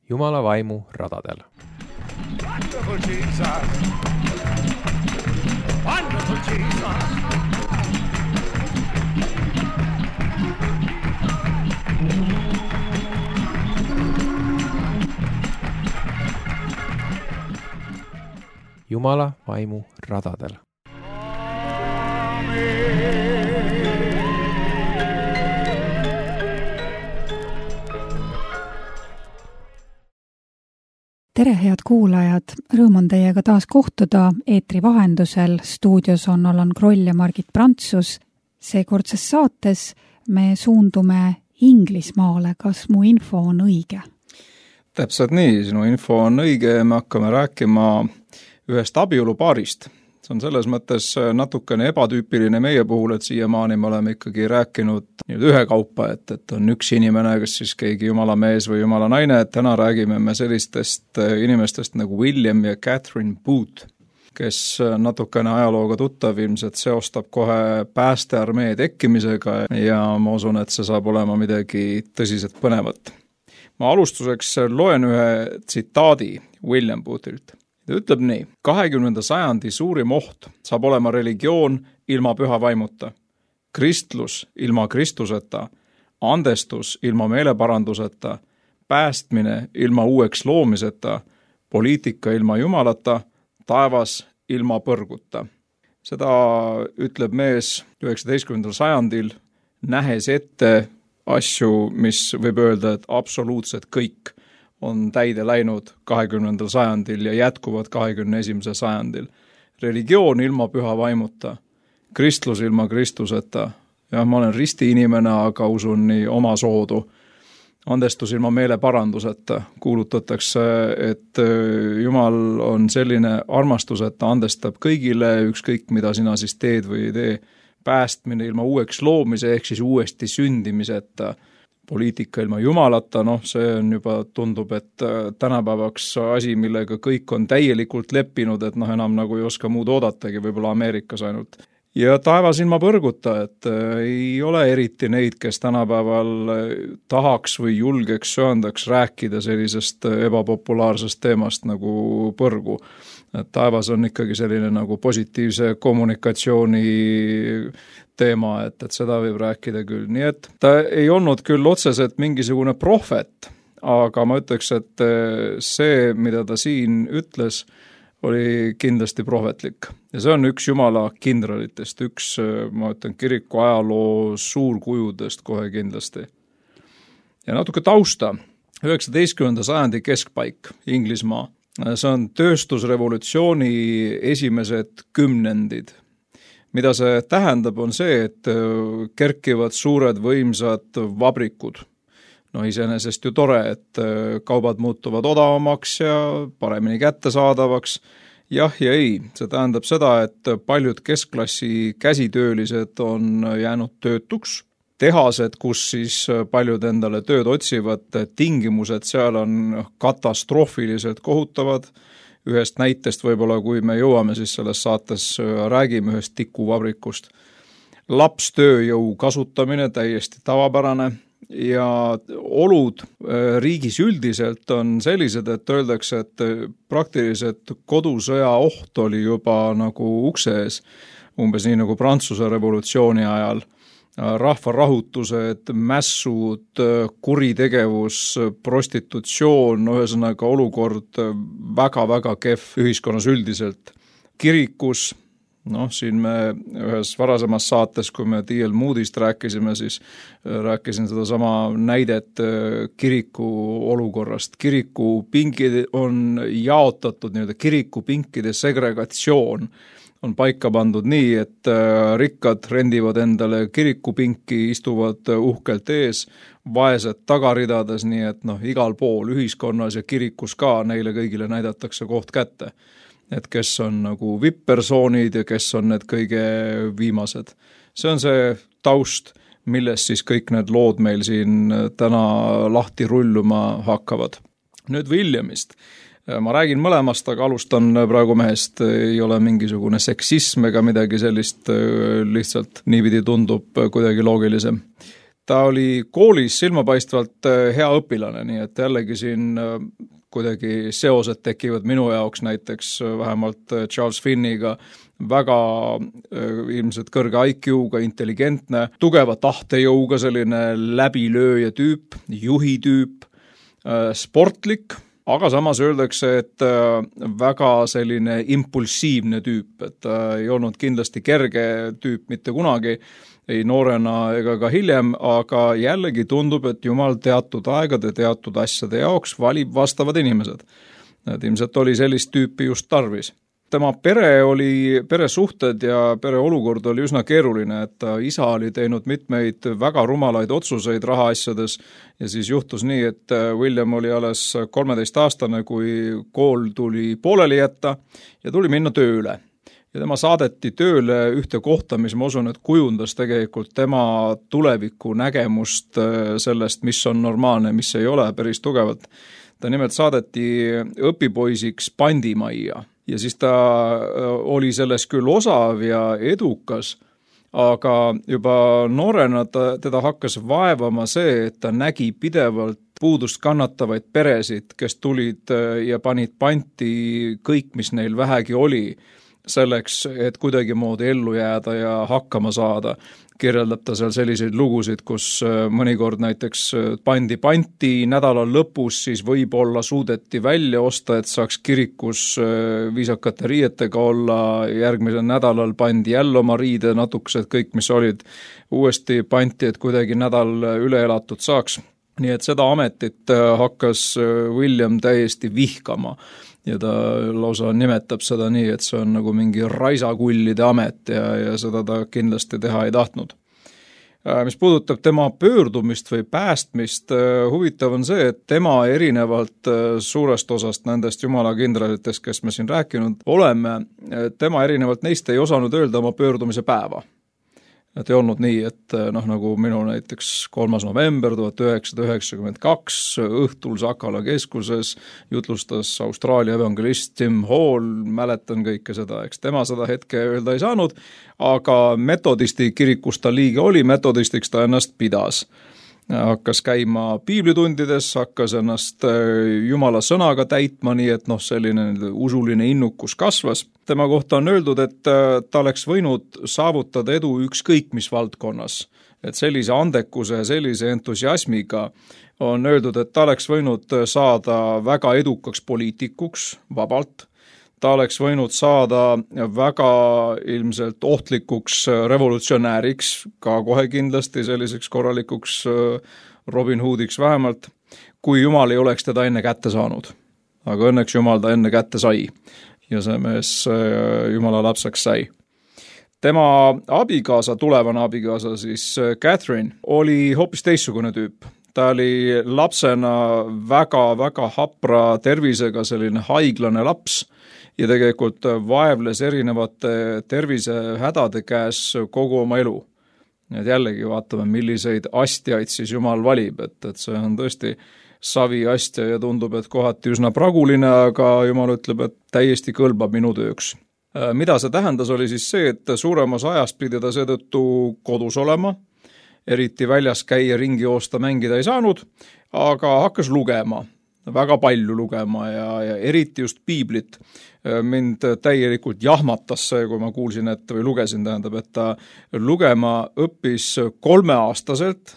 Jumala vaimu radadel. Wonderful Jesus. Wonderful Jesus. Jumala vaimu radadel. Tere, head kuulajad! Rõõm on teiega taas kohtuda eetri vahendusel. Stuudios on Allan Kroll ja Margit Prantsus. Seekordses saates me suundume Inglismaale. Kas mu info on õige? Täpselt nii, sinu info on õige. Me hakkame rääkima ühest abiolupaarist. See on selles mõttes natukene ebatüüpiline meie puhul, et siiamaani me oleme ikkagi rääkinud ühe kaupa, et on üks inimene, kas siis keegi jumala mees või jumala naine, et täna räägime me sellistest inimestest nagu William ja Catherine Booth, kes natukene ajalooga tuttav ilmselt seostab kohe päästearmee tekkimisega ja ma usun, et see saab olema midagi tõsiselt põnevat. Ma alustuseks loen ühe tsitaadi William Boothilt. Ta ütleb nii: 20. sajandi suurim oht saab olema religioon ilma püha vaimuta, kristlus ilma Kristuseta, andestus ilma meeleparanduseta, päästmine ilma uueks loomiseta, poliitika ilma jumalata, taevas ilma põrguta. Seda ütleb mees 19. sajandil, nähes ette asju, mis võib öelda, et absoluutselt kõik on täide läinud 20. sajandil ja jätkuvad 21. sajandil. Religioon ilma püha vaimuta, kristlus ilma Kristuseta. Jah, ma olen risti inimene, aga usun nii oma soodu. Andestus ilma meeleparanduseta. Kuulutatakse, et Jumal on selline armastus, et ta andestab kõigile, ükskõik mida sina siis teed või ei tee. Päästmine ilma uueks loomise ehk siis uuesti sündimiseta. Poliitika ilma jumalata, see on juba tundub, et tänapäevaks asi, millega kõik on täielikult leppinud, et enam nagu ei oska muud oodatagi, võib-olla Ameerikas ainult. Ja taevas ilma põrguta, et ei ole eriti neid, kes tänapäeval tahaks või julgeks söandaks rääkida sellisest ebapopulaarsest teemast nagu põrgu. Et taevas on ikkagi selline nagu positiivse kommunikatsiooni teema, et seda võib rääkida küll. Nii et ta ei olnud küll otseselt mingisugune prohvet, aga ma ütleks, et see, mida ta siin ütles, oli kindlasti prohvetlik. Ja see on üks jumala kindralitest, üks, ma ütlen, kiriku ajaloo suurkujudest kohe kindlasti. Ja natuke tausta. 19. sajandi keskpaik, Inglismaa. See on tööstusrevolutsiooni esimesed kümnendid. Mida see tähendab, on see, et kerkivad suured võimsad vabrikud. Iseenesest ju tore, et kaubad muutuvad odavamaks ja paremini kättesaadavaks. Jah ja ei, see tähendab seda, et paljud keskklassi käsitöölised on jäänud töötuks. Tehased, kus siis paljud endale tööd otsivad, tingimused seal on katastroofiliselt kohutavad. Ühest näitest võib-olla, kui me jõuame, siis selles saates räägime ühest tikuvabrikust. Lapstööjõu kasutamine täiesti tavapärane ja olud riigis üldiselt on sellised, et öeldakse, et praktiliselt kodusõja oht oli juba nagu ukse ees, umbes nii nagu Prantsuse revolutsiooni ajal. Rahvarahutused, mässud, kuritegevus, prostitutsioon, ühesõnaga olukord väga-väga kehv ühiskonnas üldiselt. Kirikus, siin me ühes varasemas saates, kui me D.L. Moody'st rääkisime, siis rääkisin seda sama näidet kiriku olukorrast. Kirikupingid on jaotatud, kirikupinkide segregatsioon on paika pandud nii, et rikkad rendivad endale kirikupinki, istuvad uhkelt ees, vaesed tagaridades, nii et igal pool ühiskonnas ja kirikus ka neile kõigile näidatakse koht kätte. Et kes on nagu VIP-persoonid ja kes on need kõige viimased. See on see taust, milles siis kõik need lood meil siin täna lahti rulluma hakkavad. Nüüd Williamist. Ma räägin mõlemast, aga alustan praegu mehest, ei ole mingisugune seksism ega midagi sellist, lihtsalt niipidi tundub kuidagi loogilisem. Ta oli koolis silmapaistvalt hea õpilane, nii et jällegi siin kuidagi seosed tekivad minu jaoks näiteks vähemalt Charles Finniga, väga ilmselt kõrge IQ-ga, intelligentne, tugeva tahtejõuga, selline läbilööja tüüp, juhi tüüp, sportlik, aga samas öeldakse, et väga selline impulsiivne tüüp, et ei olnud kindlasti kerge tüüp mitte kunagi, ei noorena ega ka hiljem, aga jällegi tundub, et Jumal teatud aegade, teatud asjade jaoks valib vastavad inimesed. Et ilmselt oli sellist tüüpi just tarvis. Tema peresuhted ja pereolukord oli üsna keeruline, et isa oli teinud mitmeid väga rumalaid otsuseid rahaasjades ja siis juhtus nii, et William oli alles 13-aastane, kui kool tuli pooleli jätta ja tuli minna tööle. Ja tema saadeti tööle ühte kohta, mis ma usun, et kujundas tegelikult tema tuleviku nägemust sellest, mis on normaalne, mis ei ole päris tugevalt. Ta nimelt saadeti õpipoisiks pandimajja ja siis ta oli selles küll osav ja edukas, aga juba noorena teda hakkas vaevama see, et ta nägi pidevalt puudust kannatavaid peresid, kes tulid ja panid panti kõik, mis neil vähegi oli, selleks, et kuidagimoodi ellu jääda ja hakkama saada. Kirjeldab ta seal selliseid lugusid, kus mõnikord näiteks pandi panti nädala lõpus, siis võib-olla suudeti välja osta, et saaks kirikus viisakate riietega olla, järgmisel nädalal pandi jälle oma riide natukesed, kõik mis olid uuesti panti, et kuidagi nädal üle elatud saaks. Nii et seda ametit hakkas William täiesti vihkama. Ja ta lausa nimetab seda nii, et see on nagu mingi raisakullide amet ja seda ta kindlasti teha ei tahtnud. Mis puudutab tema pöördumist või päästmist, huvitav on see, et tema erinevalt suurest osast nendest jumala kindralitest, kes me siin rääkinud oleme, tema erinevalt neist ei osanud öelda oma pöördumise päeva. Et ei olnud nii, et nagu minu näiteks 3. november 1992 õhtul Sakala keskuses jutlustas Austraalia evangelist Tim Hall, mäletan kõike seda, eks tema seda hetke öelda ei saanud, aga metodisti kirikus ta liige oli, metodistiks ta ennast pidas. Hakkas käima piiblitundides, hakkas ennast Jumala sõnaga täitma, nii et selline usuline innukus kasvas. Tema kohta on öeldud, et ta oleks võinud saavutada edu ükskõik mis valdkonnas. Et sellise andekuse ja sellise entusiasmiga on öeldud, et ta oleks võinud saada väga edukaks poliitikuks vabalt. Ta oleks võinud saada väga ilmselt ohtlikuks revolutsionääriks, ka kohe kindlasti selliseks korralikuks Robin Hoodiks vähemalt, kui Jumal ei oleks teda enne kätte saanud. Aga õnneks Jumal ta enne kätte sai ja see mees Jumala lapseks sai. Tema abikaasa, tulevane abikaasa, siis Catherine, oli hoopis teistsugune tüüp. Ta oli lapsena väga-väga hapra tervisega, selline haiglane laps ja tegelikult vaevles erinevate tervisehädade käes kogu oma elu. Et jällegi vaatame, milliseid astjaid siis Jumal valib, et see on tõesti savi astja ja tundub, et kohati üsna praguline, aga Jumal ütleb, et täiesti kõlbab minu tööks. Mida see tähendas, oli siis see, et suuremas ajast pidi ta seetõttu kodus olema, eriti väljas käia, ringi joosta, mängida ei saanud, aga hakkas lugema, väga palju lugema ja eriti just piiblit. Mind täielikult jahmatas see, kui ma kuulsin, või lugesin, tähendab, et ta lugema õppis 3-aastaselt,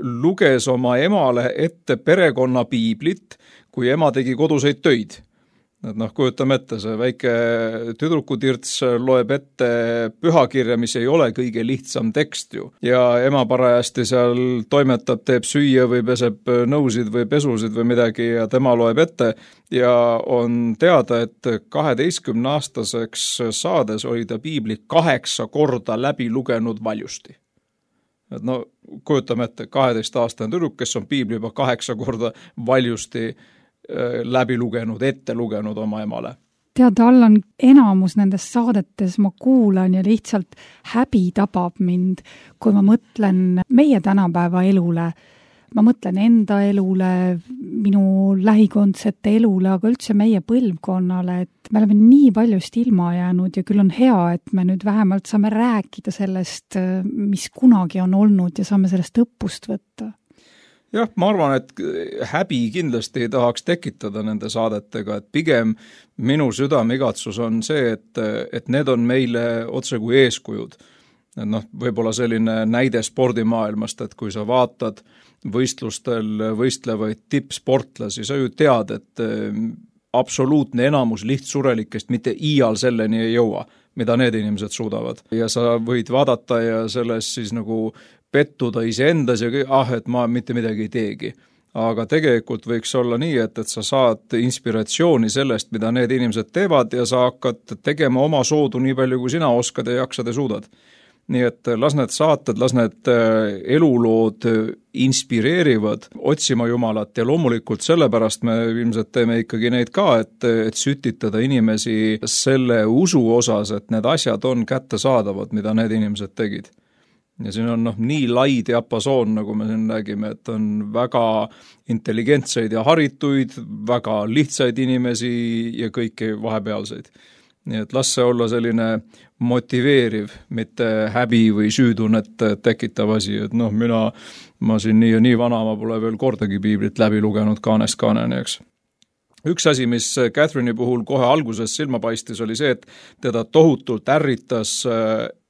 luges oma emale ette perekonna piiblit, kui ema tegi koduseid töid. Et kujutame ette, see väike tüdrukutirts loeb ette pühakirja, mis ei ole kõige lihtsam tekst ju. Ja ema parajasti seal toimetab, teeb süüa või peseb nõusid või pesusid või midagi ja tema loeb ette. Ja on teada, et 12-aastaseks saades oli ta piibli 8 korda läbi lugenud valjusti. Et kujutame ette, 12-aastane tüdruk, kes on piibli juba 8 korda valjusti läbi lugenud, ette lugenud oma emale. Tead, Allan, enamus nendest saadetes ma kuulan ja lihtsalt häbi tabab mind, kui ma mõtlen meie tänapäeva elule. Ma mõtlen enda elule minu lähikondsete elule, aga üldse meie põlvkonnale, et me oleme nii paljust ilma jäänud ja küll on hea, et me nüüd vähemalt saame rääkida sellest, mis kunagi on olnud ja saame sellest õppust võtta. Jah, ma arvan, et häbi kindlasti ei tahaks tekitada nende saadetega, et pigem minu südameigatsus on see, et need on meile otse kui eeskujud. Et võib-olla selline näide spordimaailmast, et kui sa vaatad võistlustel võistlevaid tippsportlasi, sa ju tead, et absoluutne enamus lihtsurelikest mitte iial selleni ei jõua, mida need inimesed suudavad. Ja sa võid vaadata ja selles siis nagu pettuda iseendas ja et ma mitte midagi ei teegi. Aga tegelikult võiks olla nii, et sa saad inspiratsiooni sellest, mida need inimesed teevad ja sa hakkad tegema oma soodu nii palju, kui sina oskad ja jaksad ja suudad. Nii et las need saated, las need elulood inspireerivad otsima Jumalat ja loomulikult sellepärast me ilmselt teeme ikkagi neid ka, et sütitada inimesi selle usu osas, et need asjad on kättesaadavad, mida need inimesed tegid. Ja siin on nii lai diapasoon, nagu me siin räägime, et on väga intelligentseid ja harituid, väga lihtsaid inimesi ja kõiki vahepealseid. Nii et las see olla selline motiveeriv, mitte häbi või süütunnet tekitav asi, et ma siin nii ja nii vana, ma pole veel kordagi piiblit läbi lugenud kaanest kaaneni, eks. Üks asi, mis Catherine'i puhul kohe alguses silma paistis, oli see, et teda tohutult ärritas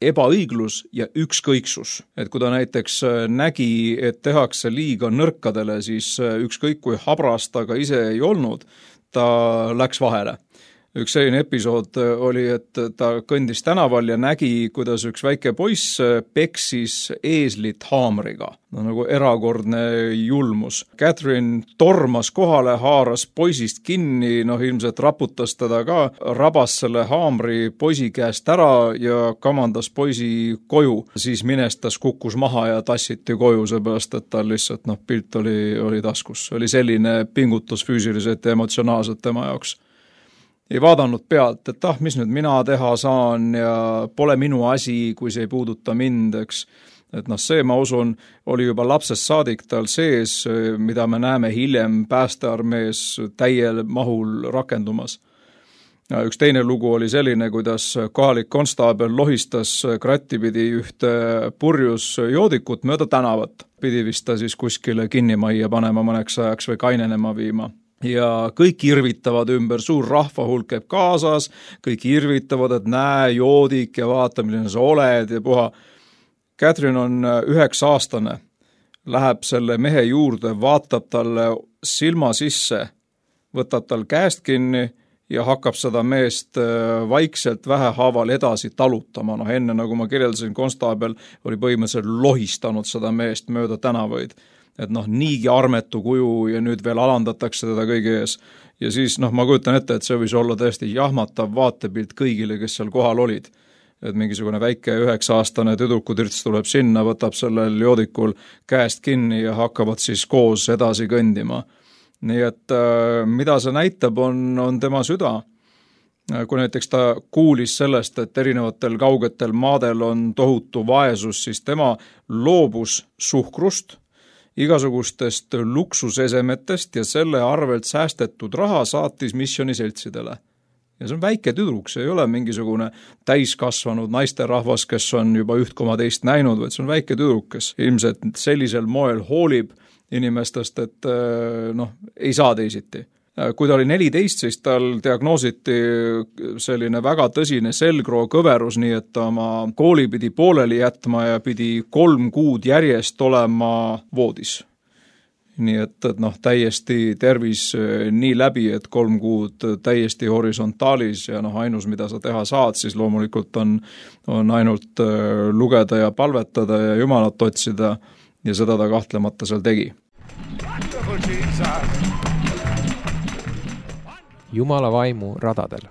ebaõiglus ja ükskõiksus. Et kui ta näiteks nägi, et tehakse liiga nõrkadele, siis ükskõik kui habrast aga ise ei olnud, ta läks vahele. Üks selline episood oli, et ta kõndis tänaval ja nägi, kuidas üks väike poiss peksis eeslit haamriga. Nagu erakordne julmus. Catherine tormas kohale, haaras poisist kinni, ilmselt raputas teda ka, rabas selle haamri poisi käest ära ja kamandas poisi koju. Siis minestas, kukkus maha ja tassiti koju, seepärast, et tal lihtsalt pilt oli taskus. Oli selline pingutus füüsiliselt ja emotsionaalselt tema jaoks. Ei vaadanud pealt, et mis nüüd mina teha saan ja pole minu asi, kui see ei puuduta mind, eks. Et see, ma usun, oli juba lapsest saadik tal sees, mida me näeme hiljem päästearmees täiel mahul rakendumas. Üks teine lugu oli selline, kuidas kohalik konstaabel lohistas krattipidi ühte purjus joodikut mööda tänavat. Pidi vist ta siis kuskile kinnimajja panema mõneks ajaks või kainenema viima. Ja kõik irvitavad ümber, suur rahvahulk käib kaasas, kõik irvitavad, et näe joodik ja vaata, milline sa oled ja puha. Catherine on 9-aastane, läheb selle mehe juurde, vaatab talle silma sisse, võtab tal käest kinni ja hakkab seda meest vaikselt vähehaaval edasi talutama. Enne, nagu ma kirjeldasin, konstaabel oli põhimõtteliselt lohistanud seda meest mööda tänavaid. Et niigi armetu kuju ja nüüd veel alandatakse teda kõigi ees. Ja siis ma kujutan ette, et see võis olla tõesti jahmatav vaatepilt kõigile, kes seal kohal olid. Et mingisugune väike 9-aastane tüdrukutirts tuleb sinna, võtab sellel joodikul käest kinni ja hakkavad siis koos edasi kõndima. Nii et mida see näitab, on tema süda. Kui näiteks ta kuulis sellest, et erinevatel kaugetel maadel on tohutu vaesus, siis tema loobus suhkrust, igasugustest luksusesemetest ja selle arvelt säästetud raha saatis missioniseltsidele. Ja see on väike tüdruk, see ei ole mingisugune täiskasvanud naisterahvas, kes on juba 1,2 näinud, vaid see on väike tüdruk, kes ilmselt sellisel moel hoolib inimestest, et ei saa teisiti. Kui ta oli 14, siis tal diagnoositi selline väga tõsine selgroo kõverus, nii et ta oma kooli pidi pooleli jätma ja pidi 3 kuud järjest olema voodis. Nii et täiesti tervis nii läbi, et 3 kuud täiesti horisontaalis ja ainus, mida sa teha saad, siis loomulikult on ainult lugeda ja palvetada ja Jumalat otsida ja seda ta kahtlemata seal tegi. Jumala vaimu radadel.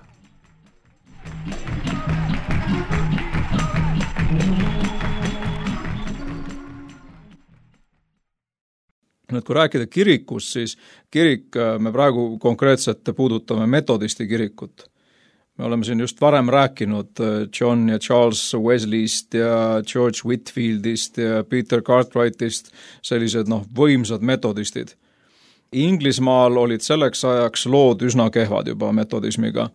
Kui rääkida kirikust, siis kirik, me praegu konkreetselt puudutame metodisti kirikut. Me oleme siin just varem rääkinud John ja Charles Wesleyst ja George Whitfieldist ja Peter Cartwrightist, sellised võimsad metodistid. Inglismaal olid selleks ajaks lood üsna kehvad juba metodismiga.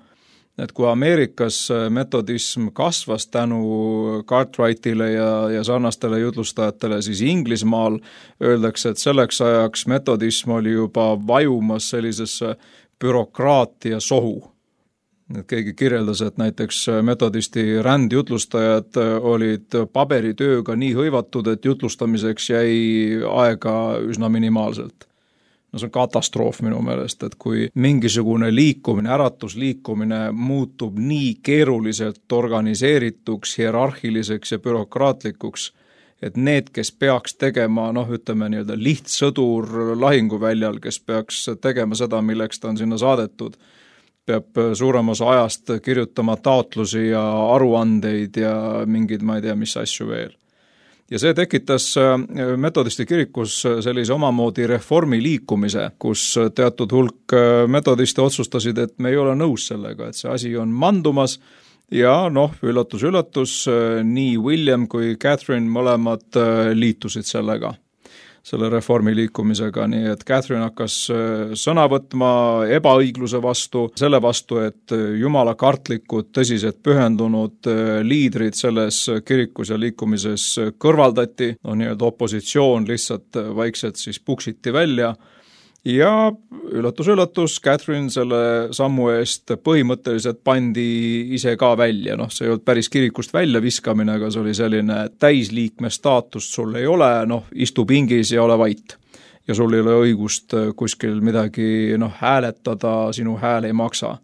Et kui Ameerikas metodism kasvas tänu Cartwrightile ja sarnastele jutlustajatele, siis Inglismaal öeldakse, et selleks ajaks metodism oli juba vajumas sellisesse bürokraatia sohu. Et keegi kirjeldas, et näiteks metodisti rändjutlustajad olid paberitööga nii hõivatud, et jutlustamiseks jäi aega üsna minimaalselt. No see on katastroof minu meelest, et kui mingisugune liikumine, äratusliikumine muutub nii keeruliselt organiseerituks, hierarhiliseks ja bürokraatlikuks, et need, kes peaks tegema, ütleme nii-öelda lihtsõdur lahinguväljal, kes peaks tegema seda, milleks ta on sinna saadetud, peab suurem osa ajast kirjutama taotlusi ja aruandeid ja mingid, ma ei tea, mis asju veel. Ja see tekitas metodisti kirikus sellise omamoodi reformi liikumise, kus teatud hulk metodiste otsustasid, et me ei ole nõus sellega, et see asi on mandumas ja üllatus, nii William kui Catherine mõlemad liitusid sellega, selle reformi liikumisega, nii et Catherine hakkas sõna võtma ebaõigluse vastu, selle vastu, et jumala kartlikud, tõsiselt pühendunud liidrid selles kirikus ja liikumises kõrvaldati, nii-öelda opositsioon lihtsalt vaikselt siis puksiti välja ja üllatus, Catherine selle sammu eest põhimõtteliselt pandi ise ka välja, see ei olnud päris kirikust välja viskamine, aga see oli selline täisliikme staatust sul ei ole, istu pingis ja ole vait. Ja sul ei ole õigust kuskil midagi hääletada, sinu hääl ei maksa.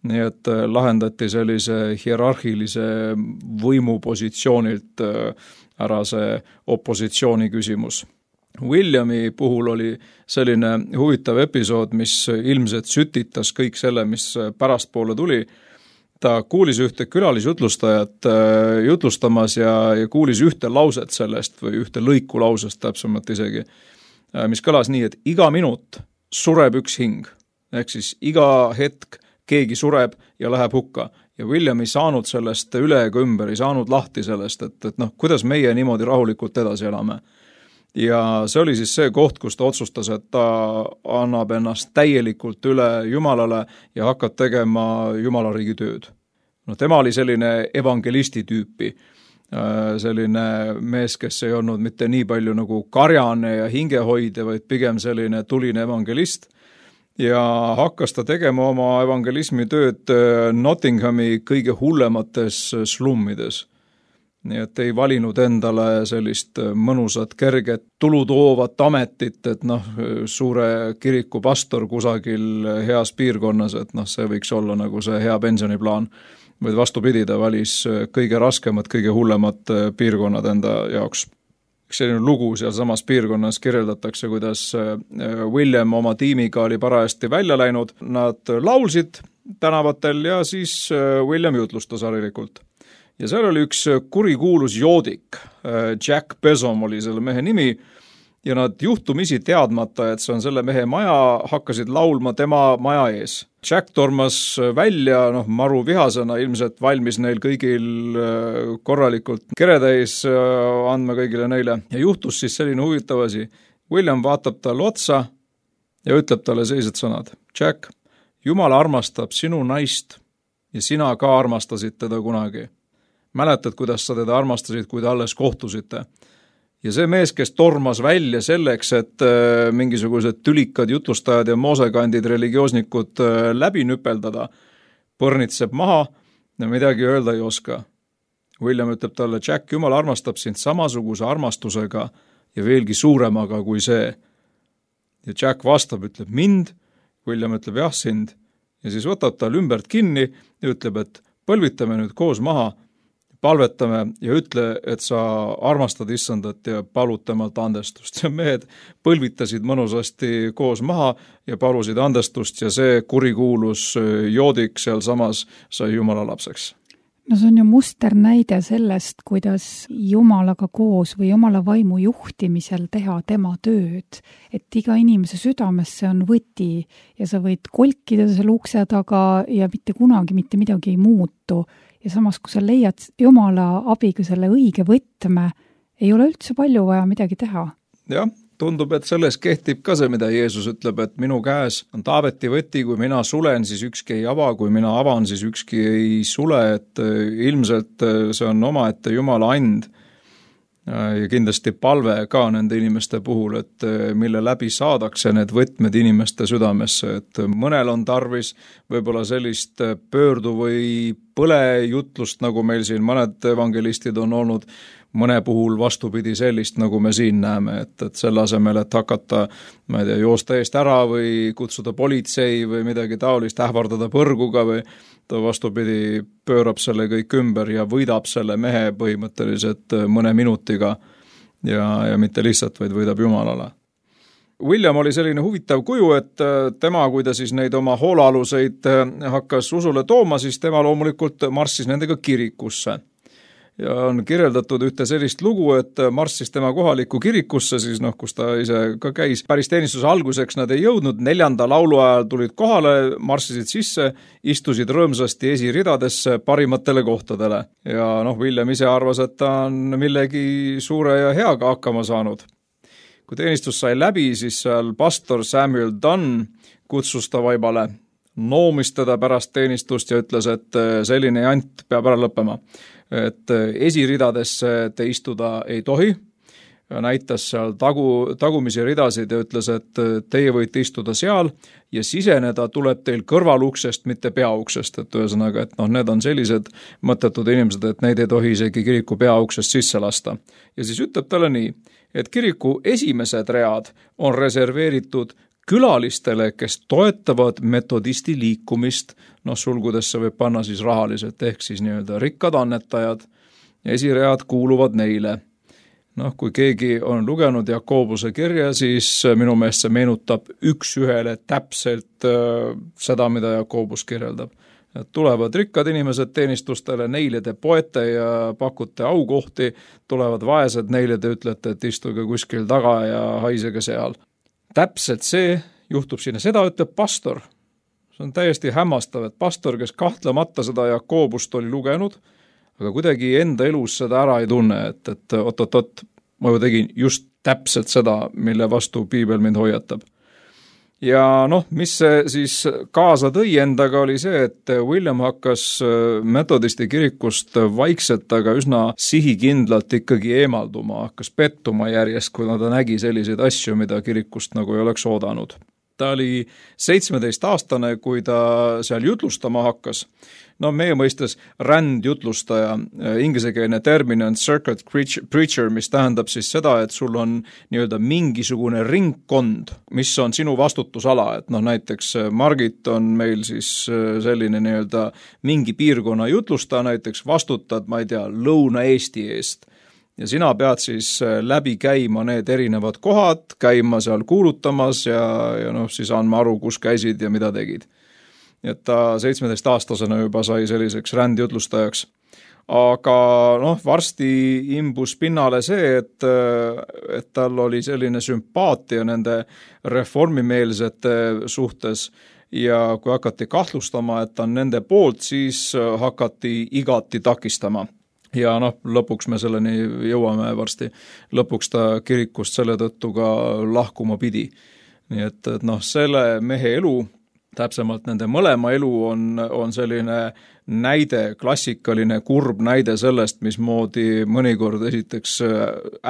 Nii et lahendati sellise hierarhilise võimupositsioonilt ära see opositsiooni küsimus. Williami puhul oli selline huvitav episood, mis ilmselt sütitas kõik selle, mis pärastpoole tuli. Ta kuulis ühte külalisjutlustajat jutlustamas ja kuulis ühte lauset sellest või ühte lõiku lausest täpsemalt isegi, mis kõlas nii, et iga minut sureb üks hing. Ehk siis iga hetk keegi sureb ja läheb hukka. Ja William ei saanud sellest üle ega ümber, ei saanud lahti sellest, et kuidas meie niimoodi rahulikult edasi elame. Ja see oli siis see koht, kus ta otsustas, et ta annab ennast täielikult üle Jumalale ja hakkab tegema Jumala riigi tööd. Tema oli selline evangelisti tüüpi, selline mees, kes ei olnud mitte nii palju nagu karjane ja hingehoide, vaid pigem selline tuline evangelist. Ja hakkas ta tegema oma evangelismi tööd Nottinghami kõige hullemates slummides. Nii et ei valinud endale sellist mõnusat, kerget, tulutoovat ametit, et suure kiriku pastor kusagil heas piirkonnas, et see võiks olla nagu see hea pensioniplaan. Vaid vastupidi, ta valis kõige raskemad, kõige hullemad piirkonnad enda jaoks. Selline lugu seal samas piirkonnas kirjeldatakse, kuidas William oma tiimiga oli parajasti välja läinud. Nad laulsid tänavatel ja siis William jutlustas harilikult. Ja seal oli üks kurikuulus joodik, Jack Besom oli selle mehe nimi, ja nad juhtumisi teadmata, et see on selle mehe maja, hakkasid laulma tema maja ees. Jack tormas välja, maru vihasena, ilmselt valmis neil kõigil korralikult keretäis andma kõigile neile. Ja juhtus siis selline huvitav asi. William vaatab talle otsa ja ütleb talle sellised sõnad. Jack, Jumal armastab sinu naist ja sina ka armastasid teda kunagi. Mäletad, kuidas sa teda armastasid, kui te alles kohtusite. Ja see mees, kes tormas välja selleks, et mingisugused tülikad jutlustajad ja moosekandid religioosnikud läbi nüpeldada, põrnitseb maha ja midagi öelda ei oska. William ütleb talle, Jack, Jumal armastab sind samasuguse armastusega ja veelgi suuremaga kui see. Ja Jack vastab, ütleb mind, William ütleb jah sind ja siis võtab tal ümbert kinni ja ütleb, et põlvitame nüüd koos maha, palvetame ja ütle, et sa armastad issandat ja palud temalt andestust. Ja mehed põlvitasid mõnusasti koos maha ja palusid andestust ja see kurikuulus joodik seal samas sai Jumala lapseks. No see on ju musternäide sellest, kuidas Jumalaga koos või Jumala vaimu juhtimisel teha tema tööd. Et iga inimese südamesse on võti ja sa võid kolkida selle ukse taga ja mitte kunagi mitte midagi ei muutu. Ja samas, kui sa leiad Jumala abiga selle õige võtme, ei ole üldse palju vaja midagi teha. Jah, tundub, et selles kehtib ka see, mida Jeesus ütleb, et minu käes on Taaveti võti, kui mina sulen, siis ükski ei ava, kui mina avan, siis ükski ei sule, et ilmselt see on omaette Jumala and ja kindlasti palve ka nende inimeste puhul, et mille läbi saadakse need võtmed inimeste südamesse, et mõnel on tarvis võib-olla sellist pöördu või põlejutlust, nagu meil siin mõned evangelistid on olnud, mõne puhul vastupidi sellist, nagu me siin näeme, et selle asemel, et hakata, ma ei tea, joosta eest ära või kutsuda politsei või midagi taolist, ähvardada põrguga või ta vastupidi pöörab selle kõik ümber ja võidab selle mehe põhimõtteliselt mõne minutiga ja mitte lihtsalt, vaid võidab Jumalale. William oli selline huvitav kuju, et tema, kui ta siis neid oma hoolealuseid hakkas usule tooma, siis tema loomulikult marssis nendega kirikusse. Ja on kirjeldatud ühte sellist lugu, et marssis tema kohalikku kirikusse, siis kus ta ise ka käis. Päris teenistuse alguseks nad ei jõudnud, 4. laulu ajal tulid kohale, marssisid sisse, istusid rõõmsasti esiridadesse parimatele kohtadele. Ja William ise arvas, et ta on millegi suure ja heaga hakkama saanud. Kui teenistus sai läbi, siis seal pastor Samuel Dunn kutsus ta vaibale, noomistada pärast teenistust ja ütles, et selline jant peab ära lõppema. Et esiridadesse te istuda ei tohi, näitas seal tagumisi ridasid ja ütles, et teie võite istuda seal ja siseneda tuleb teil kõrvaluksest, mitte peauksest, et ühesõnaga, et need on sellised mõttetud inimesed, et neid ei tohi isegi kiriku peauksest sisse lasta. Ja siis ütleb talle nii, et kiriku esimesed read on reserveeritud külalistele, kes toetavad metodisti liikumist, sulgudesse võib panna siis rahaliselt, ehk siis nii-öelda rikkad annetajad, esiread kuuluvad neile. Kui keegi on lugenud Jakobuse kirja, siis minu meelest see meenutab üks ühele täpselt seda, mida Jakobus kirjeldab. Et tulevad rikkad inimesed teenistustele, neile te poete ja pakute aukohti, tulevad vaesed, neile te ütlete, et istuge kuskil taga ja haisege seal. Täpselt see juhtub sinna, seda ütleb pastor. See on täiesti hämmastav, et pastor, kes kahtlemata seda Jakobust oli lugenud, aga kuidagi enda elus seda ära ei tunne, et oot, ma ju tegin just täpselt seda, mille vastu piibel mind hoiatab. Ja mis see siis kaasa tõi endaga oli see, et William hakkas metodisti kirikust vaikselt, aga üsna sihikindlalt ikkagi eemalduma, hakkas pettuma järjest, kui ta nägi selliseid asju, mida kirikust nagu ei oleks oodanud. Ta oli 17-aastane, kui ta seal jutlustama hakkas. Meie mõistes rändjutlustaja, ingliskeelne termin on circuit preacher, mis tähendab siis seda, et sul on nii-öelda mingisugune ringkond, mis on sinu vastutusala, et näiteks Margit on meil siis selline nii-öelda mingi piirkonna jutlustaja, näiteks vastutad, ma ei tea, Lõuna-Eesti eest. Ja sina pead siis läbi käima need erinevad kohad, käima seal kuulutamas ja siis andma aru, kus käisid ja mida tegid. Et ta 17-aastasena juba sai selliseks rändjutlustajaks. Aga varsti imbus pinnale see, et tal oli selline sümpaatia nende reformimeelsete suhtes ja kui hakati kahtlustama, et ta on nende poolt, siis hakati igati takistama. Ja lõpuks me selleni jõuame varsti. Lõpuks ta kirikust selle tõttu ka lahkuma pidi. Nii et selle mehe elu, täpsemalt nende mõlema elu on selline näide, klassikaline kurb näide sellest, mismoodi mõnikord esiteks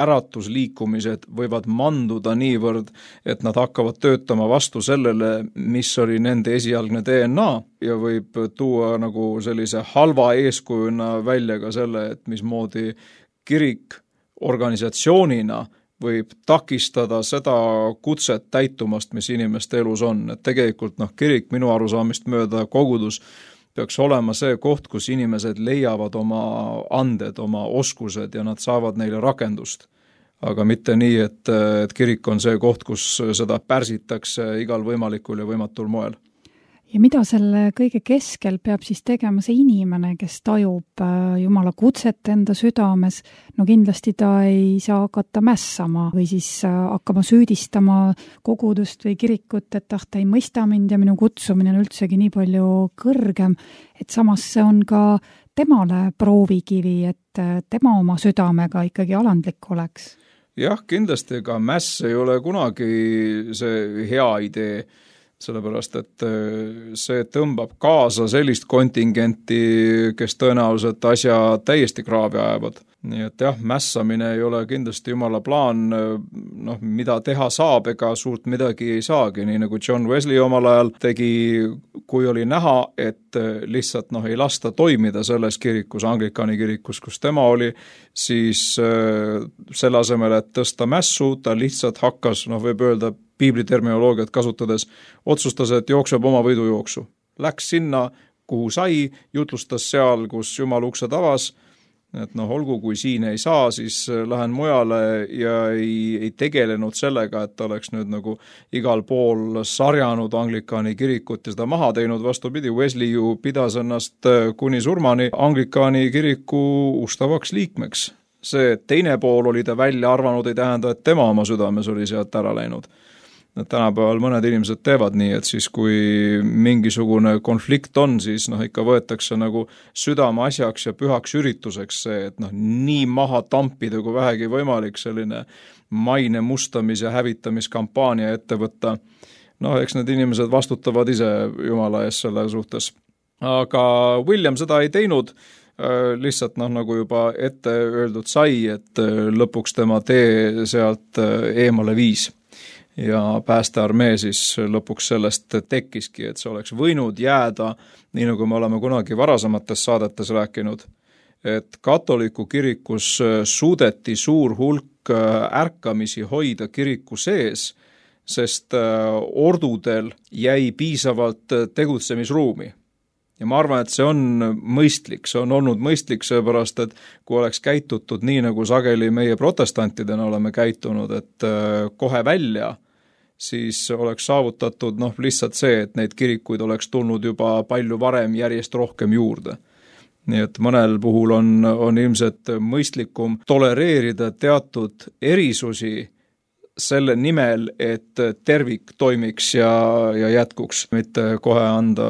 äratusliikumised võivad manduda niivõrd, et nad hakkavad töötama vastu sellele, mis oli nende esialgne DNA ja võib tuua nagu sellise halva eeskujuna välja ka selle, et mismoodi kirik organisatsioonina võib takistada seda kutset täitumast, mis inimeste elus on. Et tegelikult kirik minu arusaamist mööda kogudus peaks olema see koht, kus inimesed leiavad oma anded, oma oskused ja nad saavad neile rakendust. Aga mitte nii, et kirik on see koht, kus seda pärsitakse igal võimalikul ja võimatul moel. Ja mida selle kõige keskel peab siis tegema see inimene, kes tajub Jumala kutset enda südames? Kindlasti ta ei saa hakata mässama või siis hakkama süüdistama kogudust või kirikut, et ta ei mõista mind ja minu kutsumine on üldsegi nii palju kõrgem. Et samas see on ka temale proovikivi, et tema oma südamega ikkagi alandlik oleks. Jah, kindlasti ka mäss ei ole kunagi see hea idee, sellepärast et see tõmbab kaasa sellist kontingenti, kes tõenäoliselt asja täiesti kraavi ajavad. Nii et jah, mässamine ei ole kindlasti jumala plaan, mida teha saab, ega suurt midagi ei saagi, nii nagu John Wesley omal ajal tegi, kui oli näha, et lihtsalt ei lasta toimida selles kirikus, Anglikani kirikus, kus tema oli, siis selle asemel, et tõsta mässu, ta lihtsalt hakkas, võib öelda piibliterminoloogiat kasutades, otsustas, et jookseb oma võidujooksu. Läks sinna, kuhu sai, jutlustas seal, kus Jumal ukse avas, et olgu, kui siin ei saa, siis lähen mujale ja ei tegelenud sellega, et ta oleks nüüd nagu igal pool sarjanud Anglikani kirikut ja seda maha teinud, vastupidi, Wesley ju pidas ennast kuni surmani Anglikani kiriku ustavaks liikmeks. See teine pool oli ta välja arvanud, ei tähenda, et tema oma südames oli sealt ära läinud. Tänapäeval mõned inimesed teevad nii, et siis kui mingisugune konflikt on, siis ikka võetakse nagu südame asjaks ja pühaks ürituseks see, et nii maha tampida, kui vähegi võimalik selline maine mustamis- ja hävitamiskampaania ette võtta. Eks need inimesed vastutavad ise Jumala ees selle suhtes. Aga William seda ei teinud, lihtsalt nagu juba ette öeldud sai, et lõpuks tema tee sealt eemale viis. Ja päästearmee siis lõpuks sellest tekkiski, et see oleks võinud jääda, nii nagu me oleme kunagi varasemates saadetes rääkinud, et katoliku kirikus suudeti suur hulk ärkamisi hoida kiriku sees, sest ordudel jäi piisavalt tegutsemisruumi. Ja ma arvan, et see on mõistlik, see on olnud mõistlik seepärast, et kui oleks käitutud nii, nagu sageli meie protestantidena oleme käitunud, et kohe välja, siis oleks saavutatud lihtsalt see, et neid kirikuid oleks tulnud juba palju varem järjest rohkem juurde. Nii et mõnel puhul on ilmselt mõistlikum tolereerida teatud erisusi selle nimel, et tervik toimiks ja jätkuks, mitte kohe anda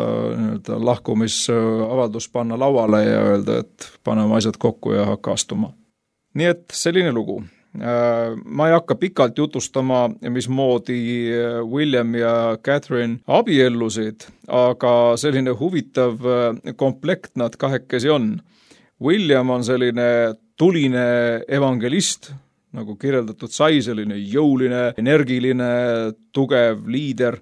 lahkumisavaldus panna lauale ja öelda, et paneme asjad kokku ja hakka astuma. Nii et selline lugu. Ma ei hakka pikalt jutustama, mismoodi William ja Catherine abiellusid, aga selline huvitav komplekt nad kahekesi on. William on selline tuline evangelist, nagu kirjeldatud sai, selline jõuline, energiline, tugev liider.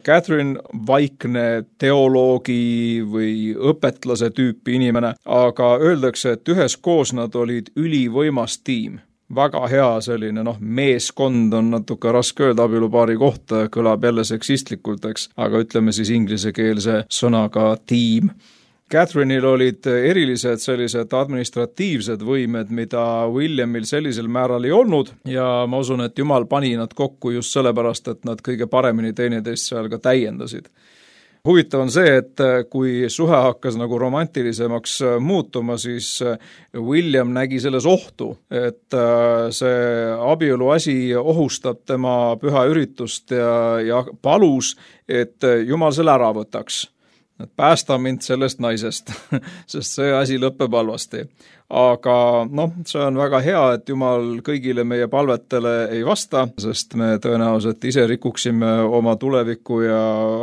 Catherine vaikne teoloogi või õpetlase tüüpi inimene, aga öeldakse, et üheskoos nad olid ülivõimas tiim. Väga hea selline, meeskond on natuke raske öelda abielupaari kohta, kõlab jälle seksistlikult, aga ütleme siis inglisekeelse sõnaga tiim. Catherine'il olid erilised sellised administratiivsed võimed, mida Williamil sellisel määral ei olnud ja ma usun, et Jumal pani nad kokku just sellepärast, et nad kõige paremini teineteist seal ka täiendasid. Huvitav on see, et kui suhe hakkas nagu romantilisemaks muutuma, siis William nägi selles ohtu, et see abielu asi ohustab tema püha üritust ja palus, et Jumal selle ära võtaks. Et päästa mind sellest naisest, sest see asi lõpeb halvasti. Aga see on väga hea, et Jumal kõigile meie palvetele ei vasta, sest me tõenäoliselt ise rikuksime oma tulevikku ja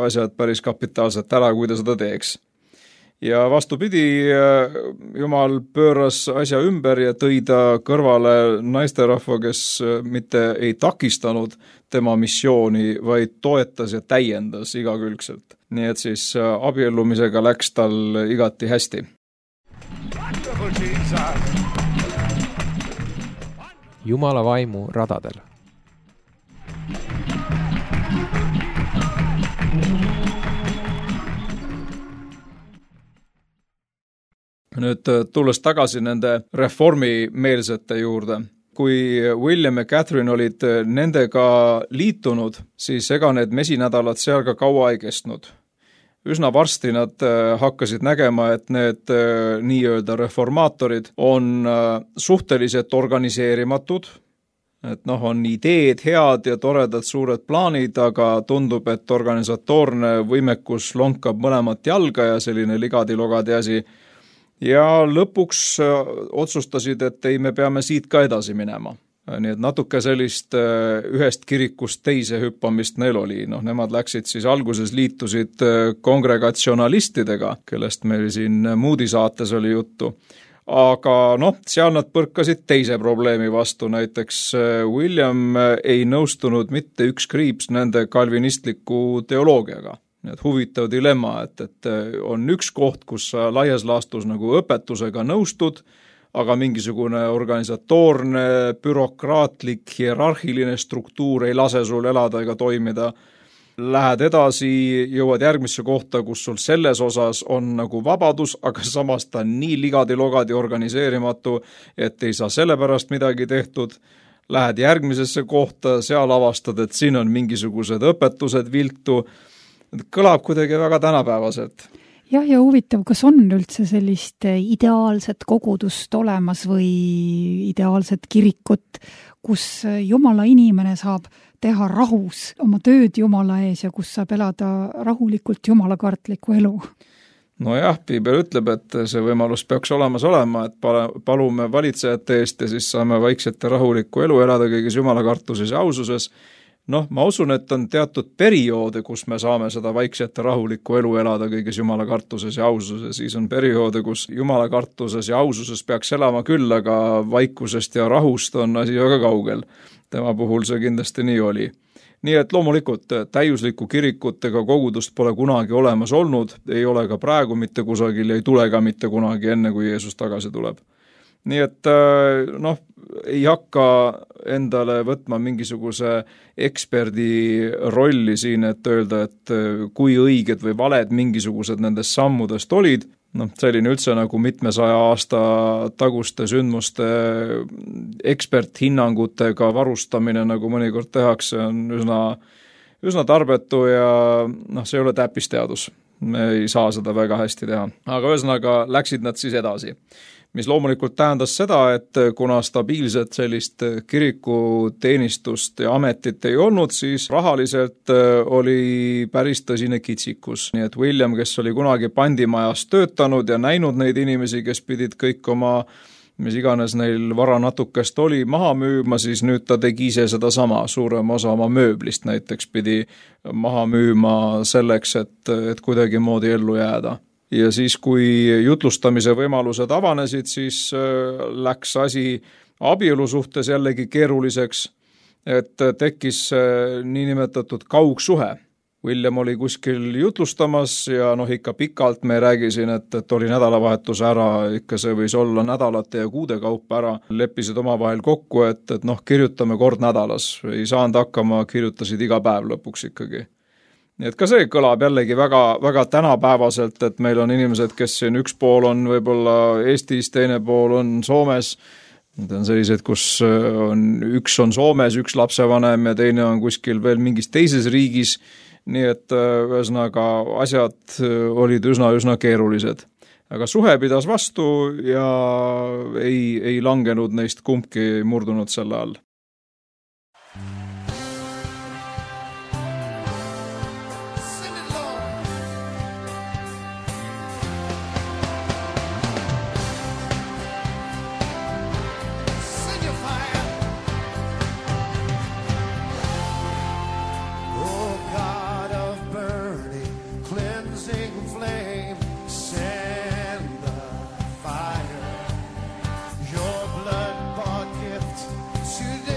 asjad päris kapitaalselt ära, kui ta seda teeks. Ja vastupidi, Jumal pööras asja ümber ja tõi ta kõrvale naisterahva, kes mitte ei takistanud tema missiooni, vaid toetas ja täiendas igakülgselt. Nii et siis abiellumisega läks tal igati hästi. Jumala vaimu radadel. Nüüd tulles tagasi nende reformimeelsete juurde. Kui William ja Catherine olid nendega liitunud, siis ega need mesinädalad seal ka kaua ei kestnud. Üsna varsti nad hakkasid nägema, et need nii-öelda reformaatorid on suhteliselt organiseerimatud, et on ideed head ja toredad suured plaanid, aga tundub, et organisatoorne võimekus lonkab mõlemat jalga ja selline ligadi-logadi asi. Ja lõpuks otsustasid, et ei, me peame siit ka edasi minema. Nii et natuke sellist ühest kirikust teise hüppamist neil oli. Nemad läksid siis alguses liitusid kongregatsionalistidega, kellest meil siin Moody saates oli juttu. Aga seal nad põrkasid teise probleemi vastu, näiteks William ei nõustunud mitte üks kriips nende kalvinistliku teoloogiaga. Nii et huvitav dilemma, et on üks koht, kus sa laias laastus nagu õpetusega nõustud, aga mingisugune organisatoorne, bürokraatlik, hierarhiline struktuur ei lase sul elada ega toimida. Lähed edasi, jõuad järgmisse kohta, kus sul selles osas on nagu vabadus, aga samas ta nii ligadi-logadi organiseerimatu, et ei saa sellepärast midagi tehtud. Lähed järgmisesse kohta, seal avastad, et siin on mingisugused õpetused viltu. Kõlab kuidagi väga tänapäevaselt. Ja huvitav, kas on üldse sellist ideaalset kogudust olemas või ideaalset kirikut, kus Jumala inimene saab teha rahus oma tööd Jumala ees ja kus saab elada rahulikult jumalakartlikku elu? Nojah, Piibel ütleb, et see võimalus peaks olemas olema, et palume valitsejate eest ja siis saame vaikset ja rahulikku elu elada kõigis jumalakartuses ja aususes. Ma usun, et on teatud perioode, kus me saame seda vaikset ja rahulikku elu elada kõigis jumalakartuses ja aususes. Siis on perioode, kus jumalakartuses ja aususes peaks elama küll, aga vaikusest ja rahust on asi väga kaugel. Tema puhul see kindlasti nii oli. Nii et loomulikult täiuslikku kirikut ega kogudust pole kunagi olemas olnud, ei ole ka praegu mitte kusagil ja ei tule ka mitte kunagi enne, kui Jeesus tagasi tuleb. Nii et ei hakka endale võtma mingisuguse eksperdi rolli siin, et öelda, et kui õiged või valed mingisugused nendest sammudest olid. Selline üldse nagu mitmesaja aasta taguste sündmuste eksperthinnangutega varustamine, nagu mõnikord tehakse, on üsna tarbetu ja see ei ole täppisteadus. Me ei saa seda väga hästi teha. Aga ühesõnaga läksid nad siis edasi. Mis loomulikult tähendas seda, et kuna stabiilset sellist kirikuteenistust ja ametit ei olnud, siis rahaliselt oli päris tõsine kitsikus. Nii et William, kes oli kunagi pandimajas töötanud ja näinud neid inimesi, kes pidid kõik oma, mis iganes neil vara natukest oli, maha müüma, siis nüüd ta tegi ise seda sama, suurem osa oma mööblist näiteks pidi maha müüma selleks, et kuidagi moodi ellu jääda. Ja siis, kui jutlustamise võimalused avanesid, siis läks asi abielu suhtes jällegi keeruliseks, et tekkis niinimetatud kaugsuhe. William oli kuskil jutlustamas ja ikka pikalt, me ei räägi siin, et oli nädalavahetus ära, ikka see võis olla nädalate ja kuude kaupa ära, leppisid omavahel kokku, et kirjutame kord nädalas, ei saanud hakkama, kirjutasid iga päev lõpuks ikkagi. Nii et ka see kõlab jällegi väga, väga tänapäevaselt, et meil on inimesed, kes siin üks pool on võib-olla Eestis, teine pool on Soomes. Need on sellised, kus üks on Soomes, üks lapsevanem ja teine on kuskil veel mingis teises riigis. Nii et ühesõnaga asjad olid üsna keerulised. Aga suhe pidas vastu ja ei langenud neist kumbki murdunud selle all. Today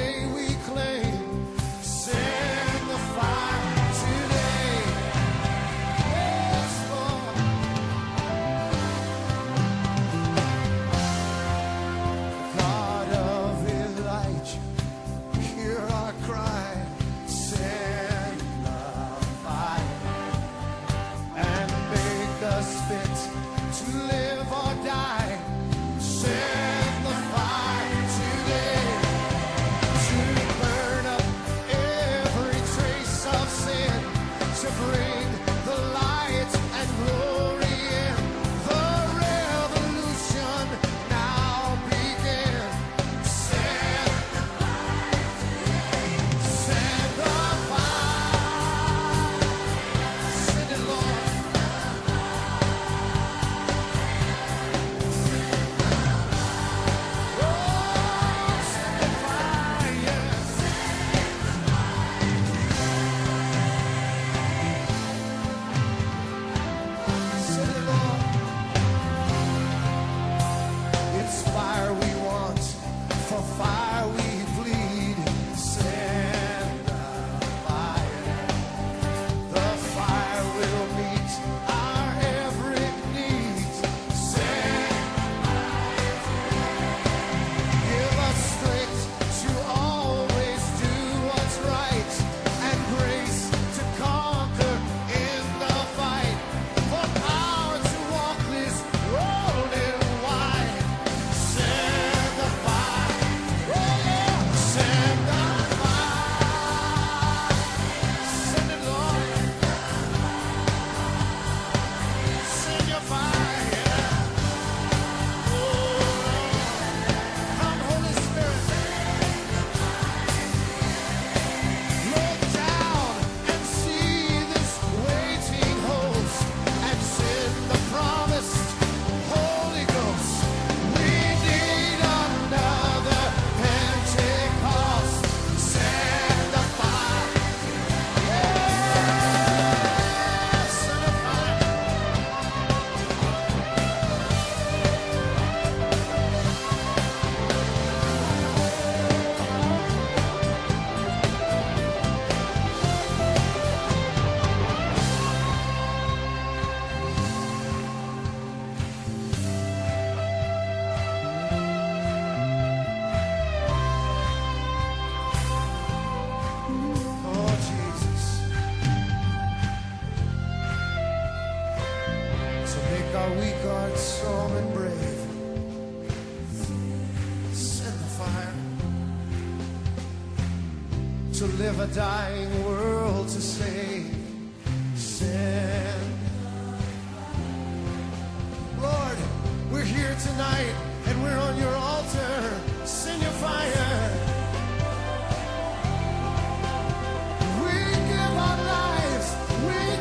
our weak hearts strong and brave. Send the fire to live a dying world to save. Send. Lord, we're here tonight and we're on your altar. Send your fire. We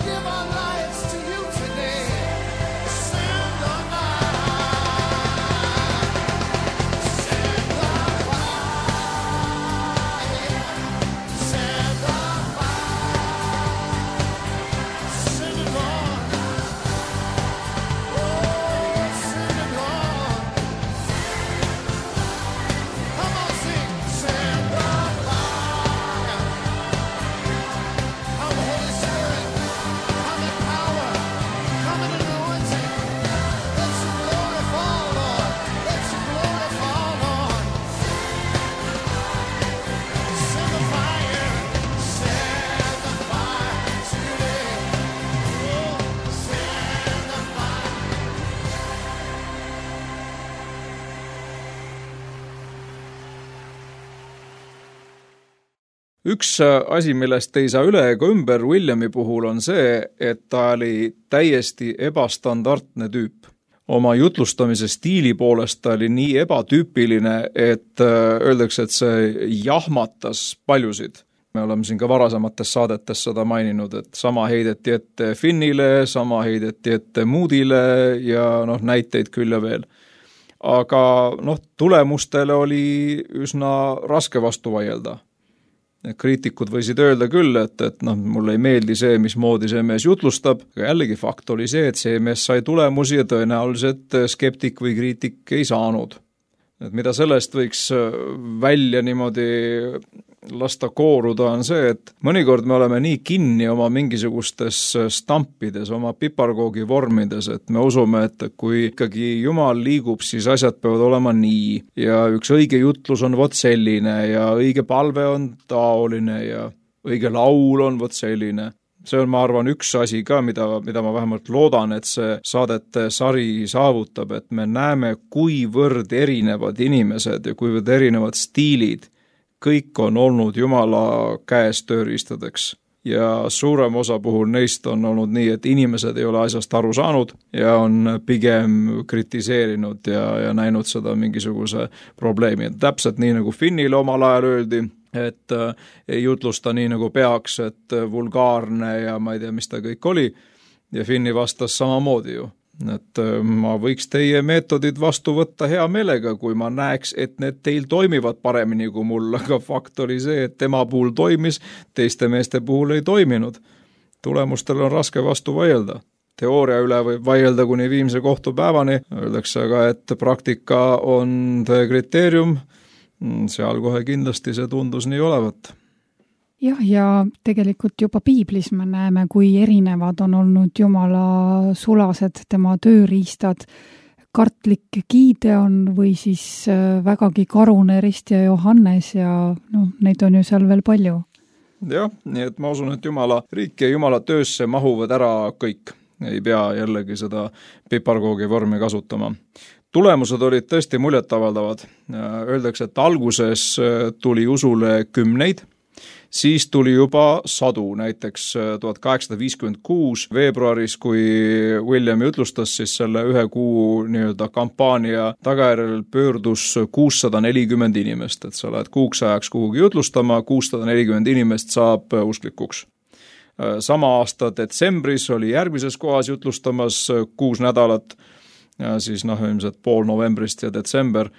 give our lives to you today. Send the fire. Send the fire. Send the fire. Send it on. Oh, send it on. Come on, sing. Send the fire. Come, Holy Spirit. Come in power. Come in anointing. Let your glory fall, Lord. Let your glory fall, Lord. Send the fire. Send the fire today. Oh, send the fire. Üks asi, millest ei saa üle ega ümber Williami puhul on see, et ta oli täiesti ebastandardne tüüp. Oma jutlustamise stiili poolest ta oli nii ebatüüpiline, et öeldakse, et see jahmatas paljusid. Me oleme siin ka varasemates saadetes seda maininud, et sama heideti ette Finnile, sama heideti ette Moodile ja näiteid küll ja veel. Aga tulemustele oli üsna raske vastu vaielda. Kriitikud võisid öelda küll, et mulle ei meeldi see, mismoodi see mees jutlustab, aga jällegi fakt oli see, et see mees sai tulemusi ja tõenäoliselt skeptik või kriitik ei saanud. Et mida sellest võiks välja niimoodi lasta kooruda on see, et mõnikord me oleme nii kinni oma mingisugustes stampides, oma piparkoogi vormides, et me usume, et kui ikkagi Jumal liigub, siis asjad peavad olema nii ja üks õige jutlus on vot selline ja õige palve on taoline ja õige laul on vot selline. See on, ma arvan, üks asi ka, mida ma vähemalt loodan, et see saadete sari saavutab, et me näeme, kuivõrd erinevad inimesed ja kuivõrd erinevad stiilid kõik on olnud Jumala käes tööriistadeks ja suurem osa puhul neist on olnud nii, et inimesed ei ole asjast aru saanud ja on pigem kritiseerinud ja näinud seda mingisuguse probleemi. Täpselt nii, nagu Finnile omal ajal öeldi, et ei jutlusta nii, nagu peaks, et vulgaarne ja ma ei tea, mis ta kõik oli ja Finni vastas samamoodi ju. Et ma võiks teie meetodid vastu võtta hea meelega, kui ma näeks, et need teil toimivad paremini kui mul, aga fakt oli see, et tema puhul toimis, teiste meeste puhul ei toiminud. Tulemustel on raske vastu vaielda. Teooria üle võib vaielda kuni viimse kohtupäevani, öeldakse aga, et praktika on tõe kriteerium, seal kohe kindlasti see tundus nii olevat. Jah, ja tegelikult juba piiblis me näeme, kui erinevad on olnud Jumala sulased, tema tööriistad, kartlik Gideon või siis vägagi karune Ristja Johannes ja neid on ju seal veel palju. Jah, nii et ma usun, et Jumala riik ja Jumala töösse mahuvad ära kõik. Ei pea jällegi seda piparkoogi vormi kasutama. Tulemused olid tõesti muljetavaldavad. Öeldakse, et alguses tuli usule 10, siis tuli juba 100, näiteks 1856 veebruaris, kui William jutlustas, siis selle 1 kuu nii-öelda kampaania tagajärjel pöördus 640 inimest, et sa lähed kuuks ajaks kuhugi jutlustama, 640 inimest saab usklikuks. Sama aasta detsembris oli järgmises kohas jutlustamas 6 nädalat, ja siis ilmselt pool novembrist ja detsember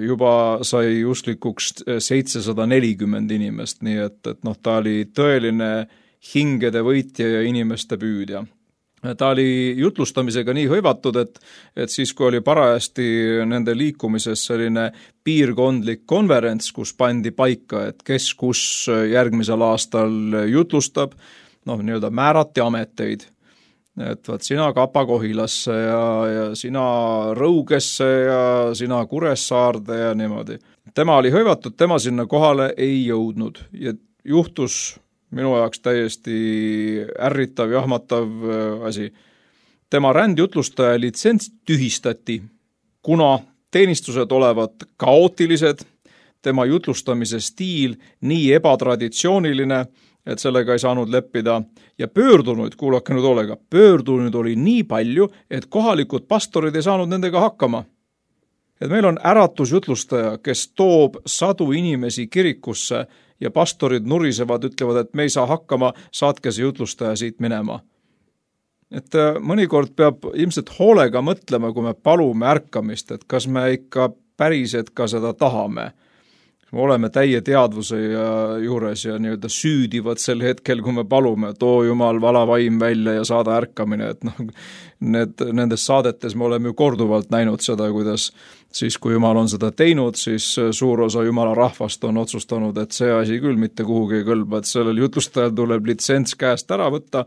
juba sai usklikuks 740 inimest, nii et ta oli tõeline hingede võitja ja inimeste püüdja. Ta oli jutlustamisega nii hõivatud, et siis, kui oli parajasti nende liikumises selline piirkondlik konverents, kus pandi paika, et kes kus järgmisel aastal jutlustab, nii-öelda määrati ameteid. Et sina Kapa-Kohilasse ja sina Rõugesse ja sina Kuressaarde ja niimoodi. Tema oli hõivatud, tema sinna kohale ei jõudnud ja juhtus minu jaoks täiesti ärritav, jahmatav asi. tema rändjutlustaja litsents tühistati, kuna teenistused olevat kaootilised, tema jutlustamise stiil nii ebatraditsiooniline, et sellega ei saanud leppida ja pöördunud, kuulake nüüd hoolega, pöördunud oli nii palju, et kohalikud pastorid ei saanud nendega hakkama. Et meil on äratusjutlustaja, kes toob sadu inimesi kirikusse ja pastorid nurisevad, ütlevad, et me ei saa hakkama, saatke see jutlustaja siit minema. Et mõnikord peab ilmselt hoolega mõtlema, kui me palume ärkamist, et kas me ikka päriselt ka seda tahame. Me oleme täie teadvuse juures ja nii-öelda süüdivad sel hetkel, kui me palume, too Jumal vala vaim välja ja saada ärkamine. Et nendes saadetes me oleme ju korduvalt näinud seda, kuidas siis, kui Jumal on seda teinud, siis suur osa Jumala rahvast on otsustanud, et see asi küll mitte kuhugi ei kõlba, et sellel jutlustajal tuleb litsents käest ära võtta.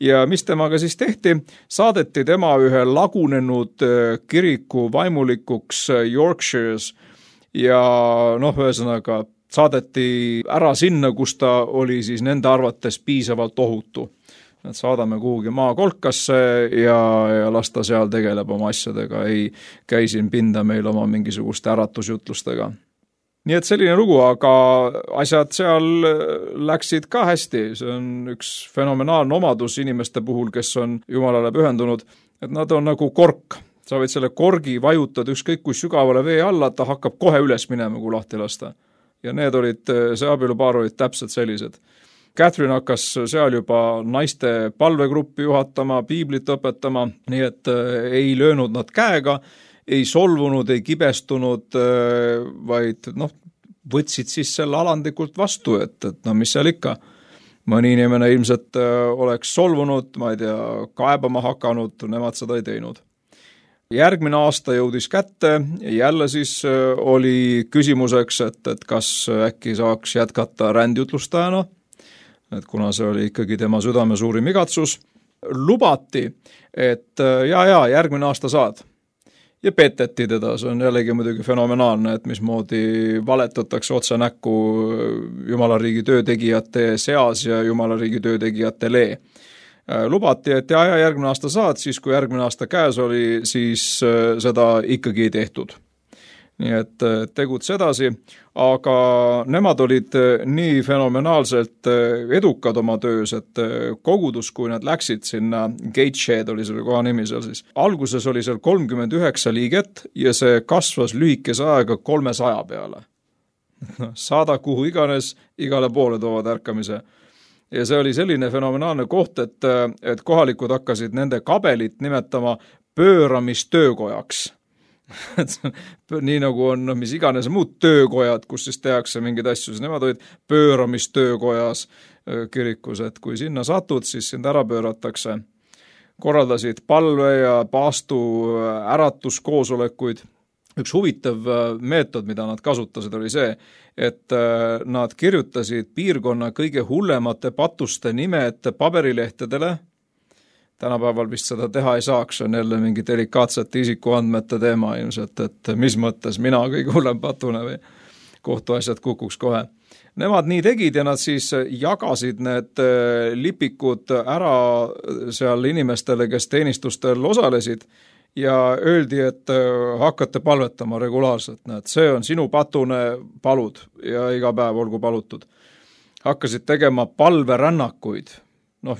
Ja mis temaga siis tehti? Saadeti tema ühe lagunenud kiriku vaimulikuks Yorkshire's ja ühesõnaga saadeti ära sinna, kus ta oli siis nende arvates piisavalt ohutu. Et saadame kuhugi maakolkasse ja las ta seal tegeleb oma asjadega, ei käi siin pinda meil oma mingisuguste äratusjutlustega. Nii et selline lugu, aga asjad seal läksid ka hästi. See on üks fenomenaalne omadus inimeste puhul, kes on Jumalale pühendunud, et nad on nagu kork. Sa võid selle korgi vajutada ükskõik kui sügavale vee alla, ta hakkab kohe üles minema, kui lahti lasta. Ja need olid, see abielupaar olid täpselt sellised. Catherine hakkas seal juba naiste palvegruppi juhatama, piiblit õpetama, nii et ei löönud nad käega, ei solvunud, ei kibestunud, vaid võtsid siis selle alandlikult vastu, et mis seal ikka. Mõni inimene ilmselt oleks solvunud, ma ei tea, kaebama hakanud, nemad seda ei teinud. Järgmine aasta jõudis kätte, jälle siis oli küsimuseks, et kas äkki saaks jätkata rändjutlustajana, et kuna see oli ikkagi tema südame suurim igatsus, lubati, et järgmine aasta saad. Ja peteti teda, see on jällegi muidugi fenomenaalne, et mismoodi valetatakse otse näkku Jumala riigi töötegijate seas ja Jumala riigi töötegijatele. Lubati, et järgmine aasta saad, siis kui järgmine aasta käes oli, siis seda ikkagi ei tehtud. Nii et tegutse edasi, aga nemad olid nii fenomenaalselt edukad oma töös, et kogudus, kui nad läksid sinna, Gateshead oli selle koha nimi seal siis, alguses oli seal 39 liiget ja see kasvas lühikese aega 300 peale. Saada kuhu iganes, igale poole toovad ärkamise. Ja see oli selline fenomenaalne koht, et kohalikud hakkasid nende kabelit nimetama pööramistöökojaks. Nii nagu on mis iganes muud töökojad, kus siis tehakse mingeid asju, siis nemad olid pööramistöökojas kirikus, et kui sinna satud, siis sind ära pööratakse. Korraldasid palve ja paastu äratuskoosolekuid. Üks huvitav meetod, mida nad kasutasid, oli see, et nad kirjutasid piirkonna kõige hullemate patuste nimed paberilehtedele. Tänapäeval vist seda teha ei saaks, on jälle mingi delikaatsete isikuandmete teema ilmselt, et mis mõttes mina kõige hullem patune või kohtuasjad kukuks kohe. Nemad nii tegid ja nad siis jagasid need lipikud ära seal inimestele, kes teenistustel osalesid, ja öeldi, et hakkate palvetama regulaarselt, näed, see on sinu patune, palud ja iga päev olgu palutud. Hakkasid tegema palverännakuid,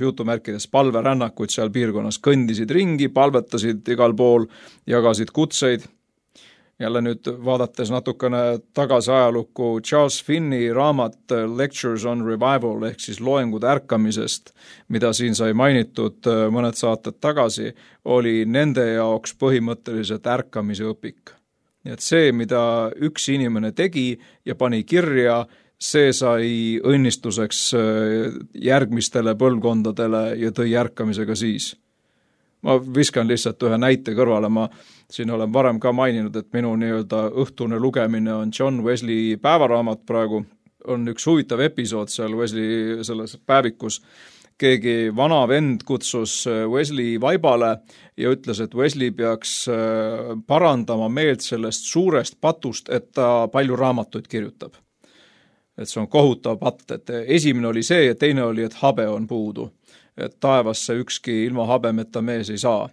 jutumärkides palverännakuid seal piirkonnas, kõndisid ringi, palvetasid igal pool, jagasid kutseid. Jälle nüüd vaadates natukene tagasi ajalukku, Charles Finney raamat Lectures on Revival ehk siis loengud ärkamisest, mida siin sai mainitud mõned saated tagasi, oli nende jaoks põhimõtteliselt ärkamise õpik. Et see, mida üks inimene tegi ja pani kirja, see sai õnnistuseks järgmistele põlvkondadele ja tõi ärkamisega siis. Ma viskan lihtsalt ühe näite kõrvale, ma siin olen varem ka maininud, et minu nii-öelda õhtune lugemine on John Wesley päevaraamat praegu, on üks huvitav episood seal Wesley selles päevikus. Keegi vana vend kutsus Wesley vaibale ja ütles, et Wesley peaks parandama meelt sellest suurest patust, et ta palju raamatuid kirjutab. et see on kohutav patt, et esimene oli see ja teine oli, et habe on puudu. Et taevasse ükski ilma habemeta mees ei saa.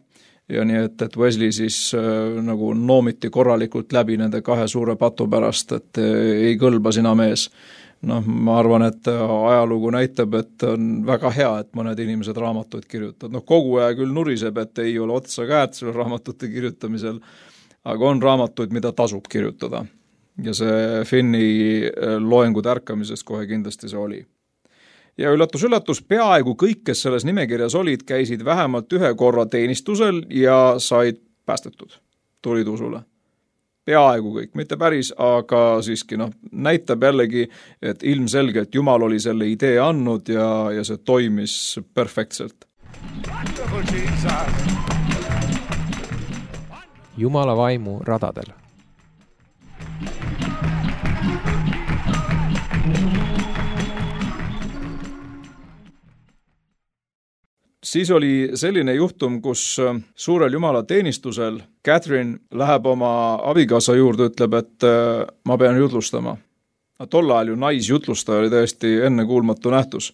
Ja nii, et Wesley siis nagu noomiti korralikult läbi nende 2 suure patu pärast, et ei kõlba sina mees. Ma arvan, et ajalugu näitab, et on väga hea, et mõned inimesed raamatuid kirjutavad. Kogu aja küll nuriseb, et ei ole otsa käed selle raamatute kirjutamisel, aga on raamatuid, mida tasub kirjutada. Ja see Finni loengud ärkamisest kohe kindlasti see oli. Ja üllatus, peaaegu kõik, kes selles nimekirjas olid, käisid vähemalt 1 korra teenistusel ja said päästetud, tulid usule. Peaaegu kõik, mitte päris, aga siiski näitab jällegi, et ilmselgelt Jumal oli selle idee andnud ja see toimis perfektselt. Wonderful Jesus. Jumala vaimu radadel. Siis oli selline juhtum, kus suurel Jumala teenistusel Catherine läheb oma abikaasa juurde, ütleb, et ma pean jutlustama. Tol ajal ju naisjutlustaja oli täiesti ennekuulmatu nähtus.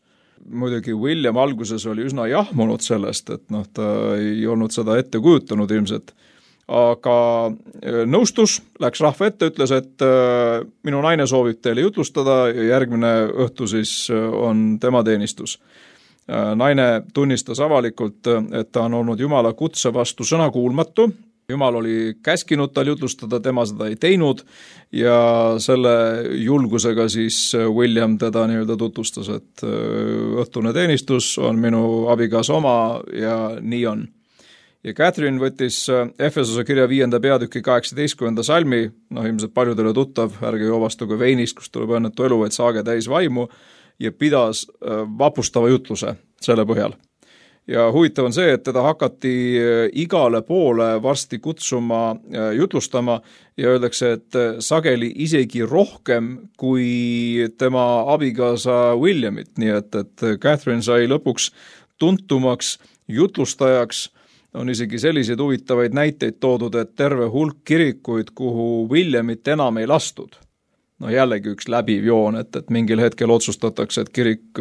Muidugi William alguses oli üsna jahmunud sellest, et ta ei olnud seda ette kujutanud ilmselt. Aga nõustus, läks rahva ette, ütles, et minu naine soovib teile jutlustada ja järgmine õhtu siis on tema teenistus. Naine tunnistas avalikult, et ta on olnud Jumala kutse vastu sõnakuulmatu. Jumal oli käskinud tal jutlustada, tema seda ei teinud ja selle julgusega siis William teda nii-öelda tutvustas, et õhtune teenistus on minu abikaasa oma ja nii on. Ja Catherine võttis Efesose kirja 5. peatüki 18. salmi, ilmselt paljudele tuttav, ärge joovastuge veinist, kus tuleb õnnetu elu, et saage täis vaimu, ja pidas vapustava jutluse selle põhjal. Ja huvitav on see, et teda hakati igale poole varsti kutsuma jutlustama ja öeldakse, et sageli isegi rohkem kui tema abikaasa Williamit, nii et Catherine sai lõpuks tuntumaks jutlustajaks. On isegi selliseid huvitavaid näiteid toodud, et terve hulk kirikuid, kuhu Williamit enam ei lastud. Jällegi üks läbiv joon, et mingil hetkel otsustatakse, et kirik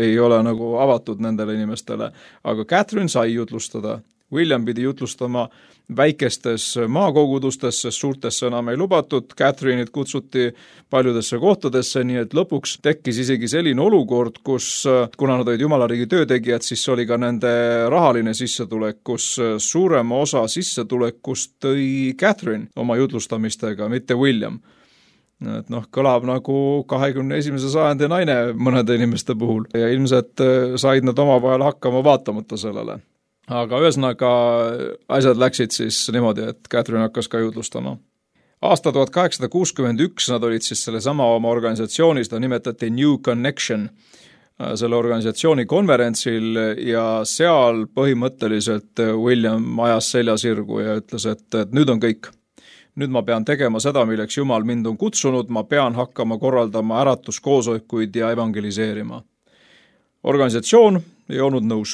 ei ole nagu avatud nendele inimestele. Aga Catherine sai jutlustada. William pidi jutlustama väikestes maakogudustes, sest suurtesse enam ei lubatud. Catherine'id kutsuti paljudesse kohtadesse, nii et lõpuks tekkis isegi selline olukord, kus, kuna nad olid Jumalariigi töötegijad, siis oli ka nende rahaline sissetulek, kus suurema osa sissetulekust tõi Catherine oma jutlustamistega, mitte William. Et kõlab nagu 21. sajandi naine mõnede inimeste puhul ja ilmselt said nad omavahel hakkama vaatamata sellele. Aga ühesõnaga asjad läksid siis niimoodi, et Catherine hakkas ka jutlustama. Aasta 1861 nad olid siis selle sama oma organisatsiooni, seda nimetati New Connection, selle organisatsiooni konverentsil ja seal põhimõtteliselt William ajas selja sirgu ja ütles, et nüüd on kõik. Nüüd ma pean tegema seda, milleks Jumal mind on kutsunud, ma pean hakkama korraldama äratuskoosolekuid ja evangeliseerima. Organisatsioon ei olnud nõus.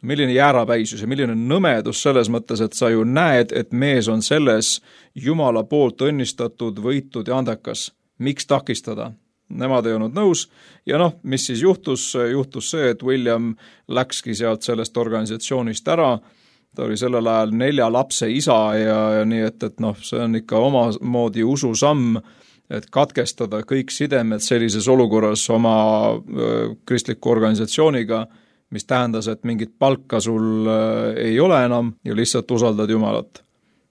Milline jäärapäisus ja milline nõmedus selles mõttes, et sa ju näed, et mees on selles Jumala poolt õnnistatud, võitud ja andekas. Miks takistada? Nemad ei olnud nõus ja mis siis juhtus? Juhtus see, et William läkski sealt sellest organisatsioonist ära. Ta oli sellel ajal 4 lapse isa ja nii, et see on ikka omamoodi ususamm, et katkestada kõik sidemed sellises olukorras oma kristliku organisatsiooniga, mis tähendas, et mingit palka sul ei ole enam ja lihtsalt usaldad Jumalat.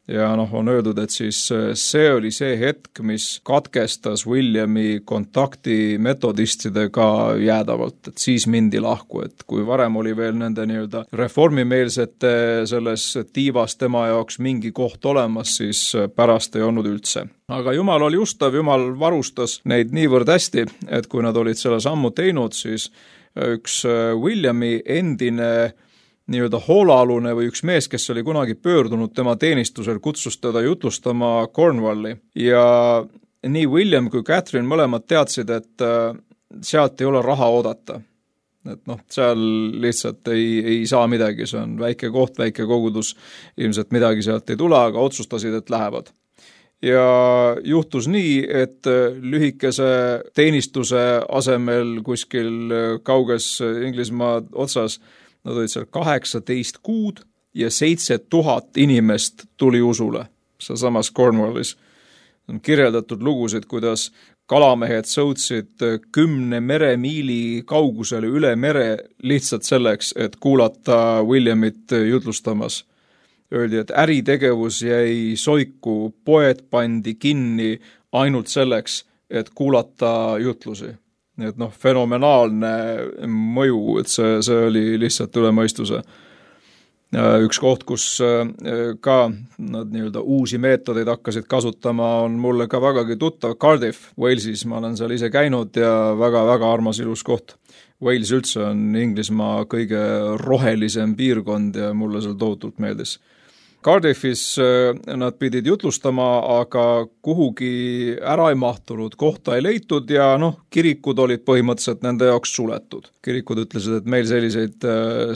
Ja on öeldud, et siis see oli see hetk, mis katkestas Williami kontakti metodistidega jäädavalt, et siis mindi lahku, et kui varem oli veel nende nii-öelda reformimeelsete selles tiivas tema jaoks mingi koht olemas, siis pärast ei olnud üldse. Aga Jumal oli ustav, Jumal varustas neid niivõrd hästi, et kui nad olid selle sammu teinud, siis üks Williami endine nii-öelda hoolaalune või üks mees, kes oli kunagi pöördunud tema teenistusel, kutsus teda jutlustama Cornwalli. Ja nii William kui Catherine mõlemad teadsid, et sealt ei ole raha oodata. Et seal lihtsalt ei saa midagi, see on väike koht, väike kogudus, ilmselt midagi sealt ei tule, aga otsustasid, et lähevad. ja juhtus nii, et lühikese teenistuse asemel kuskil kauges Inglismaa otsas nad olid seal 18 kuud ja 7000 inimest tuli usule, sealsamas Cornwallis. On kirjeldatud lugusid, kuidas kalamehed sõudsid 10 meremiili kaugusele üle mere lihtsalt selleks, et kuulata Williamit jutlustamas. Öeldi, et äritegevus jäi soiku, poed pandi kinni ainult selleks, et kuulata jutlusi. Nii et fenomenaalne mõju, et see oli lihtsalt üle mõistuse. Üks koht, kus ka nad nii-öelda uusi meetodeid hakkasid kasutama, on mulle ka vägagi tuttav Cardiff, Walesis. Ma olen seal ise käinud ja väga-väga armas ilus koht. Wales üldse on Inglismaa kõige rohelisem piirkond ja mulle seal tohutult meeldis. Cardiffis nad pidid jutlustama, aga kuhugi ära ei mahtunud, kohta ei leitud ja kirikud olid põhimõtteliselt nende jaoks suletud. Kirikud ütlesid, et meil selliseid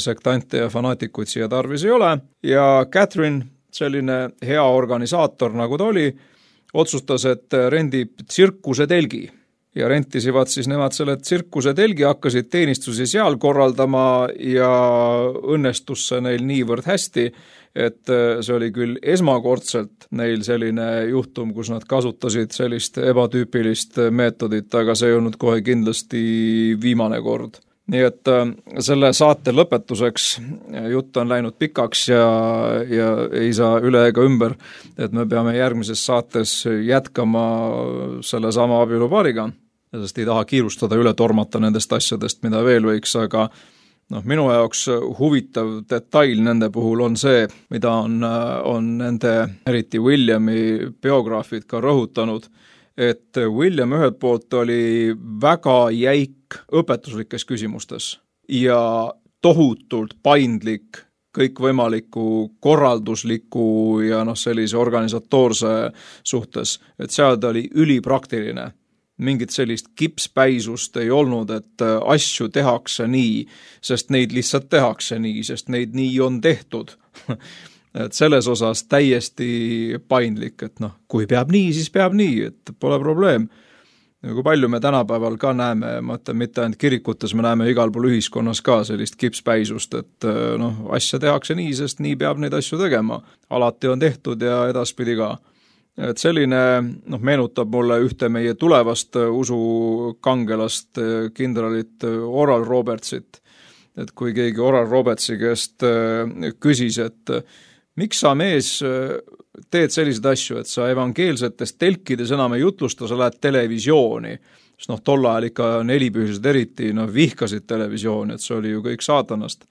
sektante ja fanaatikuid siia tarvis ei ole ja Catherine, selline hea organisaator nagu ta oli, otsustas, et rendib tsirkuse telgi. Ja rentisivad siis nemad selle tsirkuse telgi, hakkasid teenistusi seal korraldama ja õnnestus see neil niivõrd hästi, et see oli küll esmakordselt neil selline juhtum, kus nad kasutasid sellist ebatüüpilist meetodit, aga see ei olnud kohe kindlasti viimane kord. Nii et selle saate lõpetuseks jutt on läinud pikaks ja ei saa üle ega ümber, et me peame järgmises saates jätkama selle sama abielupaariga, sest ei taha kiirustada üle tormata nendest asjadest, mida veel võiks, aga minu jaoks huvitav detail nende puhul on see, mida on nende eriti Williami biograafid ka rõhutanud, et William ühelt poolt oli väga jäik õpetuslikes küsimustes ja tohutult paindlik kõikvõimaliku korraldusliku ja sellise organisatoorse suhtes, et seal ta oli ülipraktiline. Mingit sellist kipspäisust ei olnud, et asju tehakse nii, sest neid lihtsalt tehakse nii, sest neid nii on tehtud. Et selles osas täiesti paindlik, et kui peab nii, siis peab nii, et pole probleem. Kui palju me tänapäeval ka näeme, ma ütlen, mitte ainult kirikutes, me näeme igal pool ühiskonnas ka sellist kipspäisust, et asja tehakse nii, sest nii peab neid asju tegema. Alati on tehtud ja edaspidi ka. Et selline meenutab mulle ühte meie tulevast usukangelast, kindralit Oral Robertsit. Et kui keegi Oral Robertsi käest küsis, et miks sa mees teed selliseid asju, et sa evangeelsetes telkides enam ei jutlusta, sa lähed televisiooni. Sest tol ajal ikka nelipühised eriti vihkasid televisiooni, et see oli ju kõik saatanast.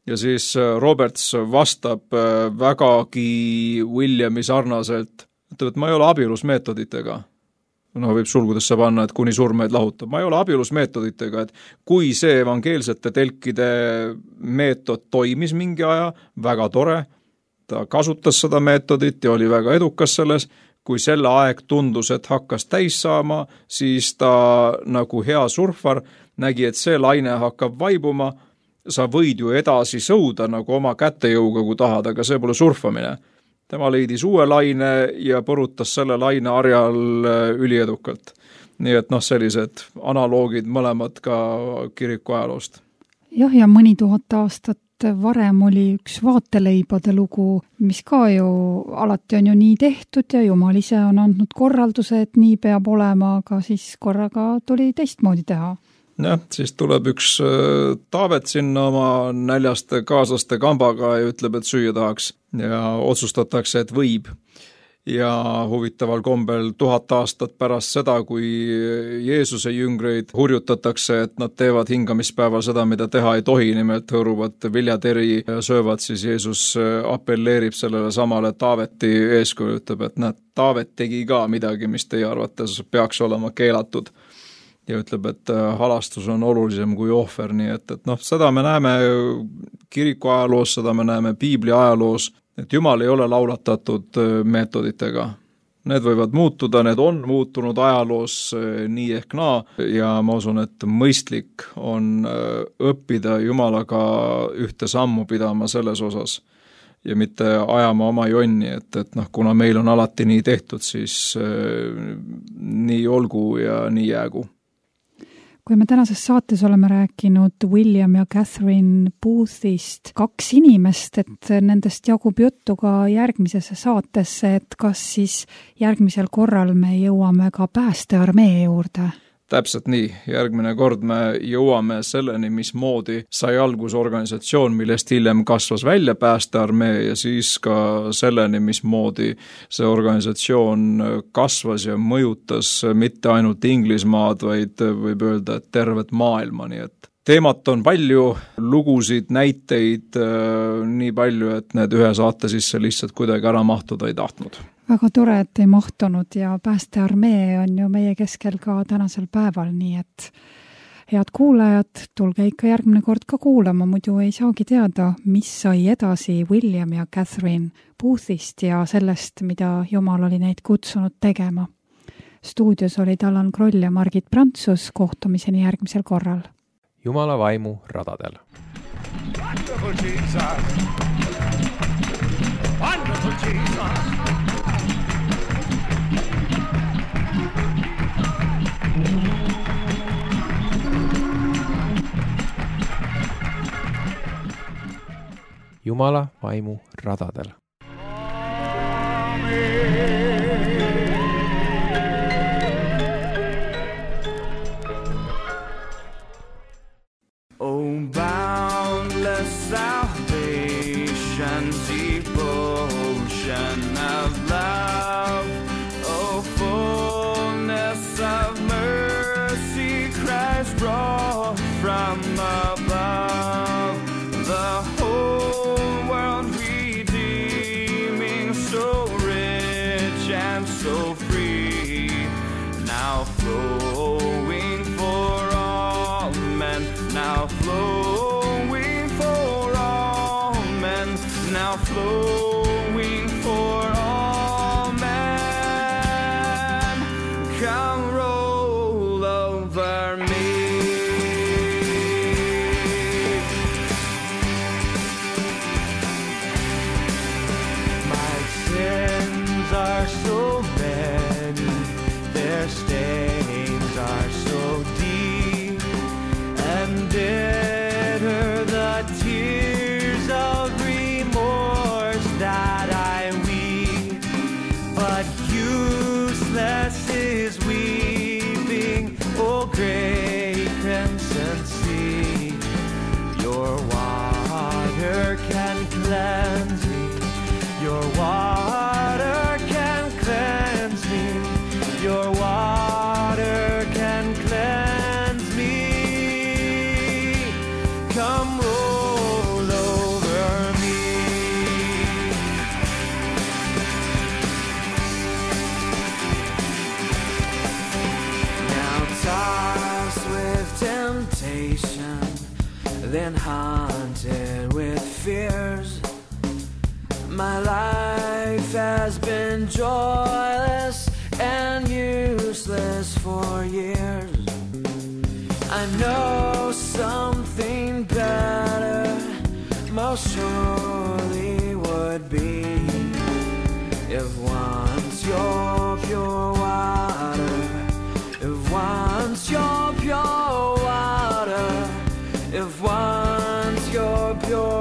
Ja siis Roberts vastab vägagi Williami sarnaselt, ütleb, et ma ei ole abielus meetoditega. Võib sulgudesse panna, et kuni surmeid lahutab. Ma ei ole abielus meetoditega, et kui see evangeelsete telkide meetod toimis mingi aja, väga tore, ta kasutas seda meetodit ja oli väga edukas selles, kui selle aeg tundus, et hakkas täis saama, siis ta nagu hea surfar nägi, et see laine hakkab vaibuma, sa võid ju edasi sõuda nagu oma kätejõuga, kui tahad, aga see pole surfamine. Tema leidis uue laine ja põrutas selle laine arjal üliedukalt. Nii et sellised analoogid mõlemad ka kiriku ajaloost. Jah, ja mõni 1000 aastat varem oli üks vaateleibade lugu, mis ka ju alati on ju nii tehtud ja Jumal ise on andnud korralduse, et nii peab olema, aga siis korraga tuli teistmoodi teha. Jah, siis tuleb üks Taavet sinna oma näljaste kaaslaste kambaga ja ütleb, et süüa tahaks ja otsustatakse, et võib. Ja huvitaval kombel 1000 aastat pärast seda, kui Jeesuse jüngreid hurjutatakse, et nad teevad hingamispäeval seda, mida teha ei tohi, nimelt hõõruvad viljateri ja söövad, siis Jeesus appelleerib sellele samale Taaveti eeskuju, ütleb, et Taavet tegi ka midagi, mis teie arvates peaks olema keelatud. Ja ütleb, et halastus on olulisem kui ohver, nii et seda me näeme kiriku ajaloos, seda me näeme Piibli ajaloos, et Jumal ei ole laulatatud meetoditega. Need võivad muutuda, need on muutunud ajaloos nii ehk naa ja ma usun, et mõistlik on õppida Jumalaga ühte sammu pidama selles osas, ja mitte ajama oma jonni, et kuna meil on alati nii tehtud, siis nii olgu ja nii jäägu. Kui me tänases saates oleme rääkinud William ja Catherine Boothist 2 inimest, et nendest jagub juttu ka järgmisesse saatesse, et kas siis järgmisel korral me jõuame ka päästearmee juurde? Täpselt nii, järgmine kord me jõuame selleni, mismoodi sai algus organisatsioon, millest hiljem kasvas välja päästearmee ja siis ka selleni, mismoodi see organisatsioon kasvas ja mõjutas mitte ainult Inglismaad, vaid võib öelda, et tervet maailma, nii et teemat on palju, lugusid, näiteid nii palju, et need ühe saate sisse lihtsalt kuidagi ära mahtuda ei tahtnud. Väga tore, et ei mahtunud ja päästearmee on ju meie keskel ka tänasel päeval, nii et head kuulajad, tulge ikka järgmine kord ka kuulama, muidu ei saagi teada, mis sai edasi William ja Catherine Boothist ja sellest, mida Jumal oli neid kutsunud tegema. Stuudios olid Allan Kroll ja Margit Prantsus, kohtumiseni järgmisel korral. Jumala vaimu radadel. Wonderful Jesus. Wonderful Jesus. Jumala vaimu radadel. Oh, boundless salvation, deep ocean of love. Oh, fullness of mercy, Christ brought from above. The whole world redeeming, so rich and so free, now flowing for all men, now flowing for all men, now flowing for all men. Come roll over me. Are so many, their stains are so deep, and bitter the tears of remorse that I weep. But useless is weeping, oh great crimson sea. Your water can cleanse me, your water can cleanse me, your water can cleanse me. Come roll over me. Now tossed with temptation, then haunted with fears, my life has been joyless and useless for years. I know something better most surely would be if once you're pure water, if once you're pure water, if once you're pure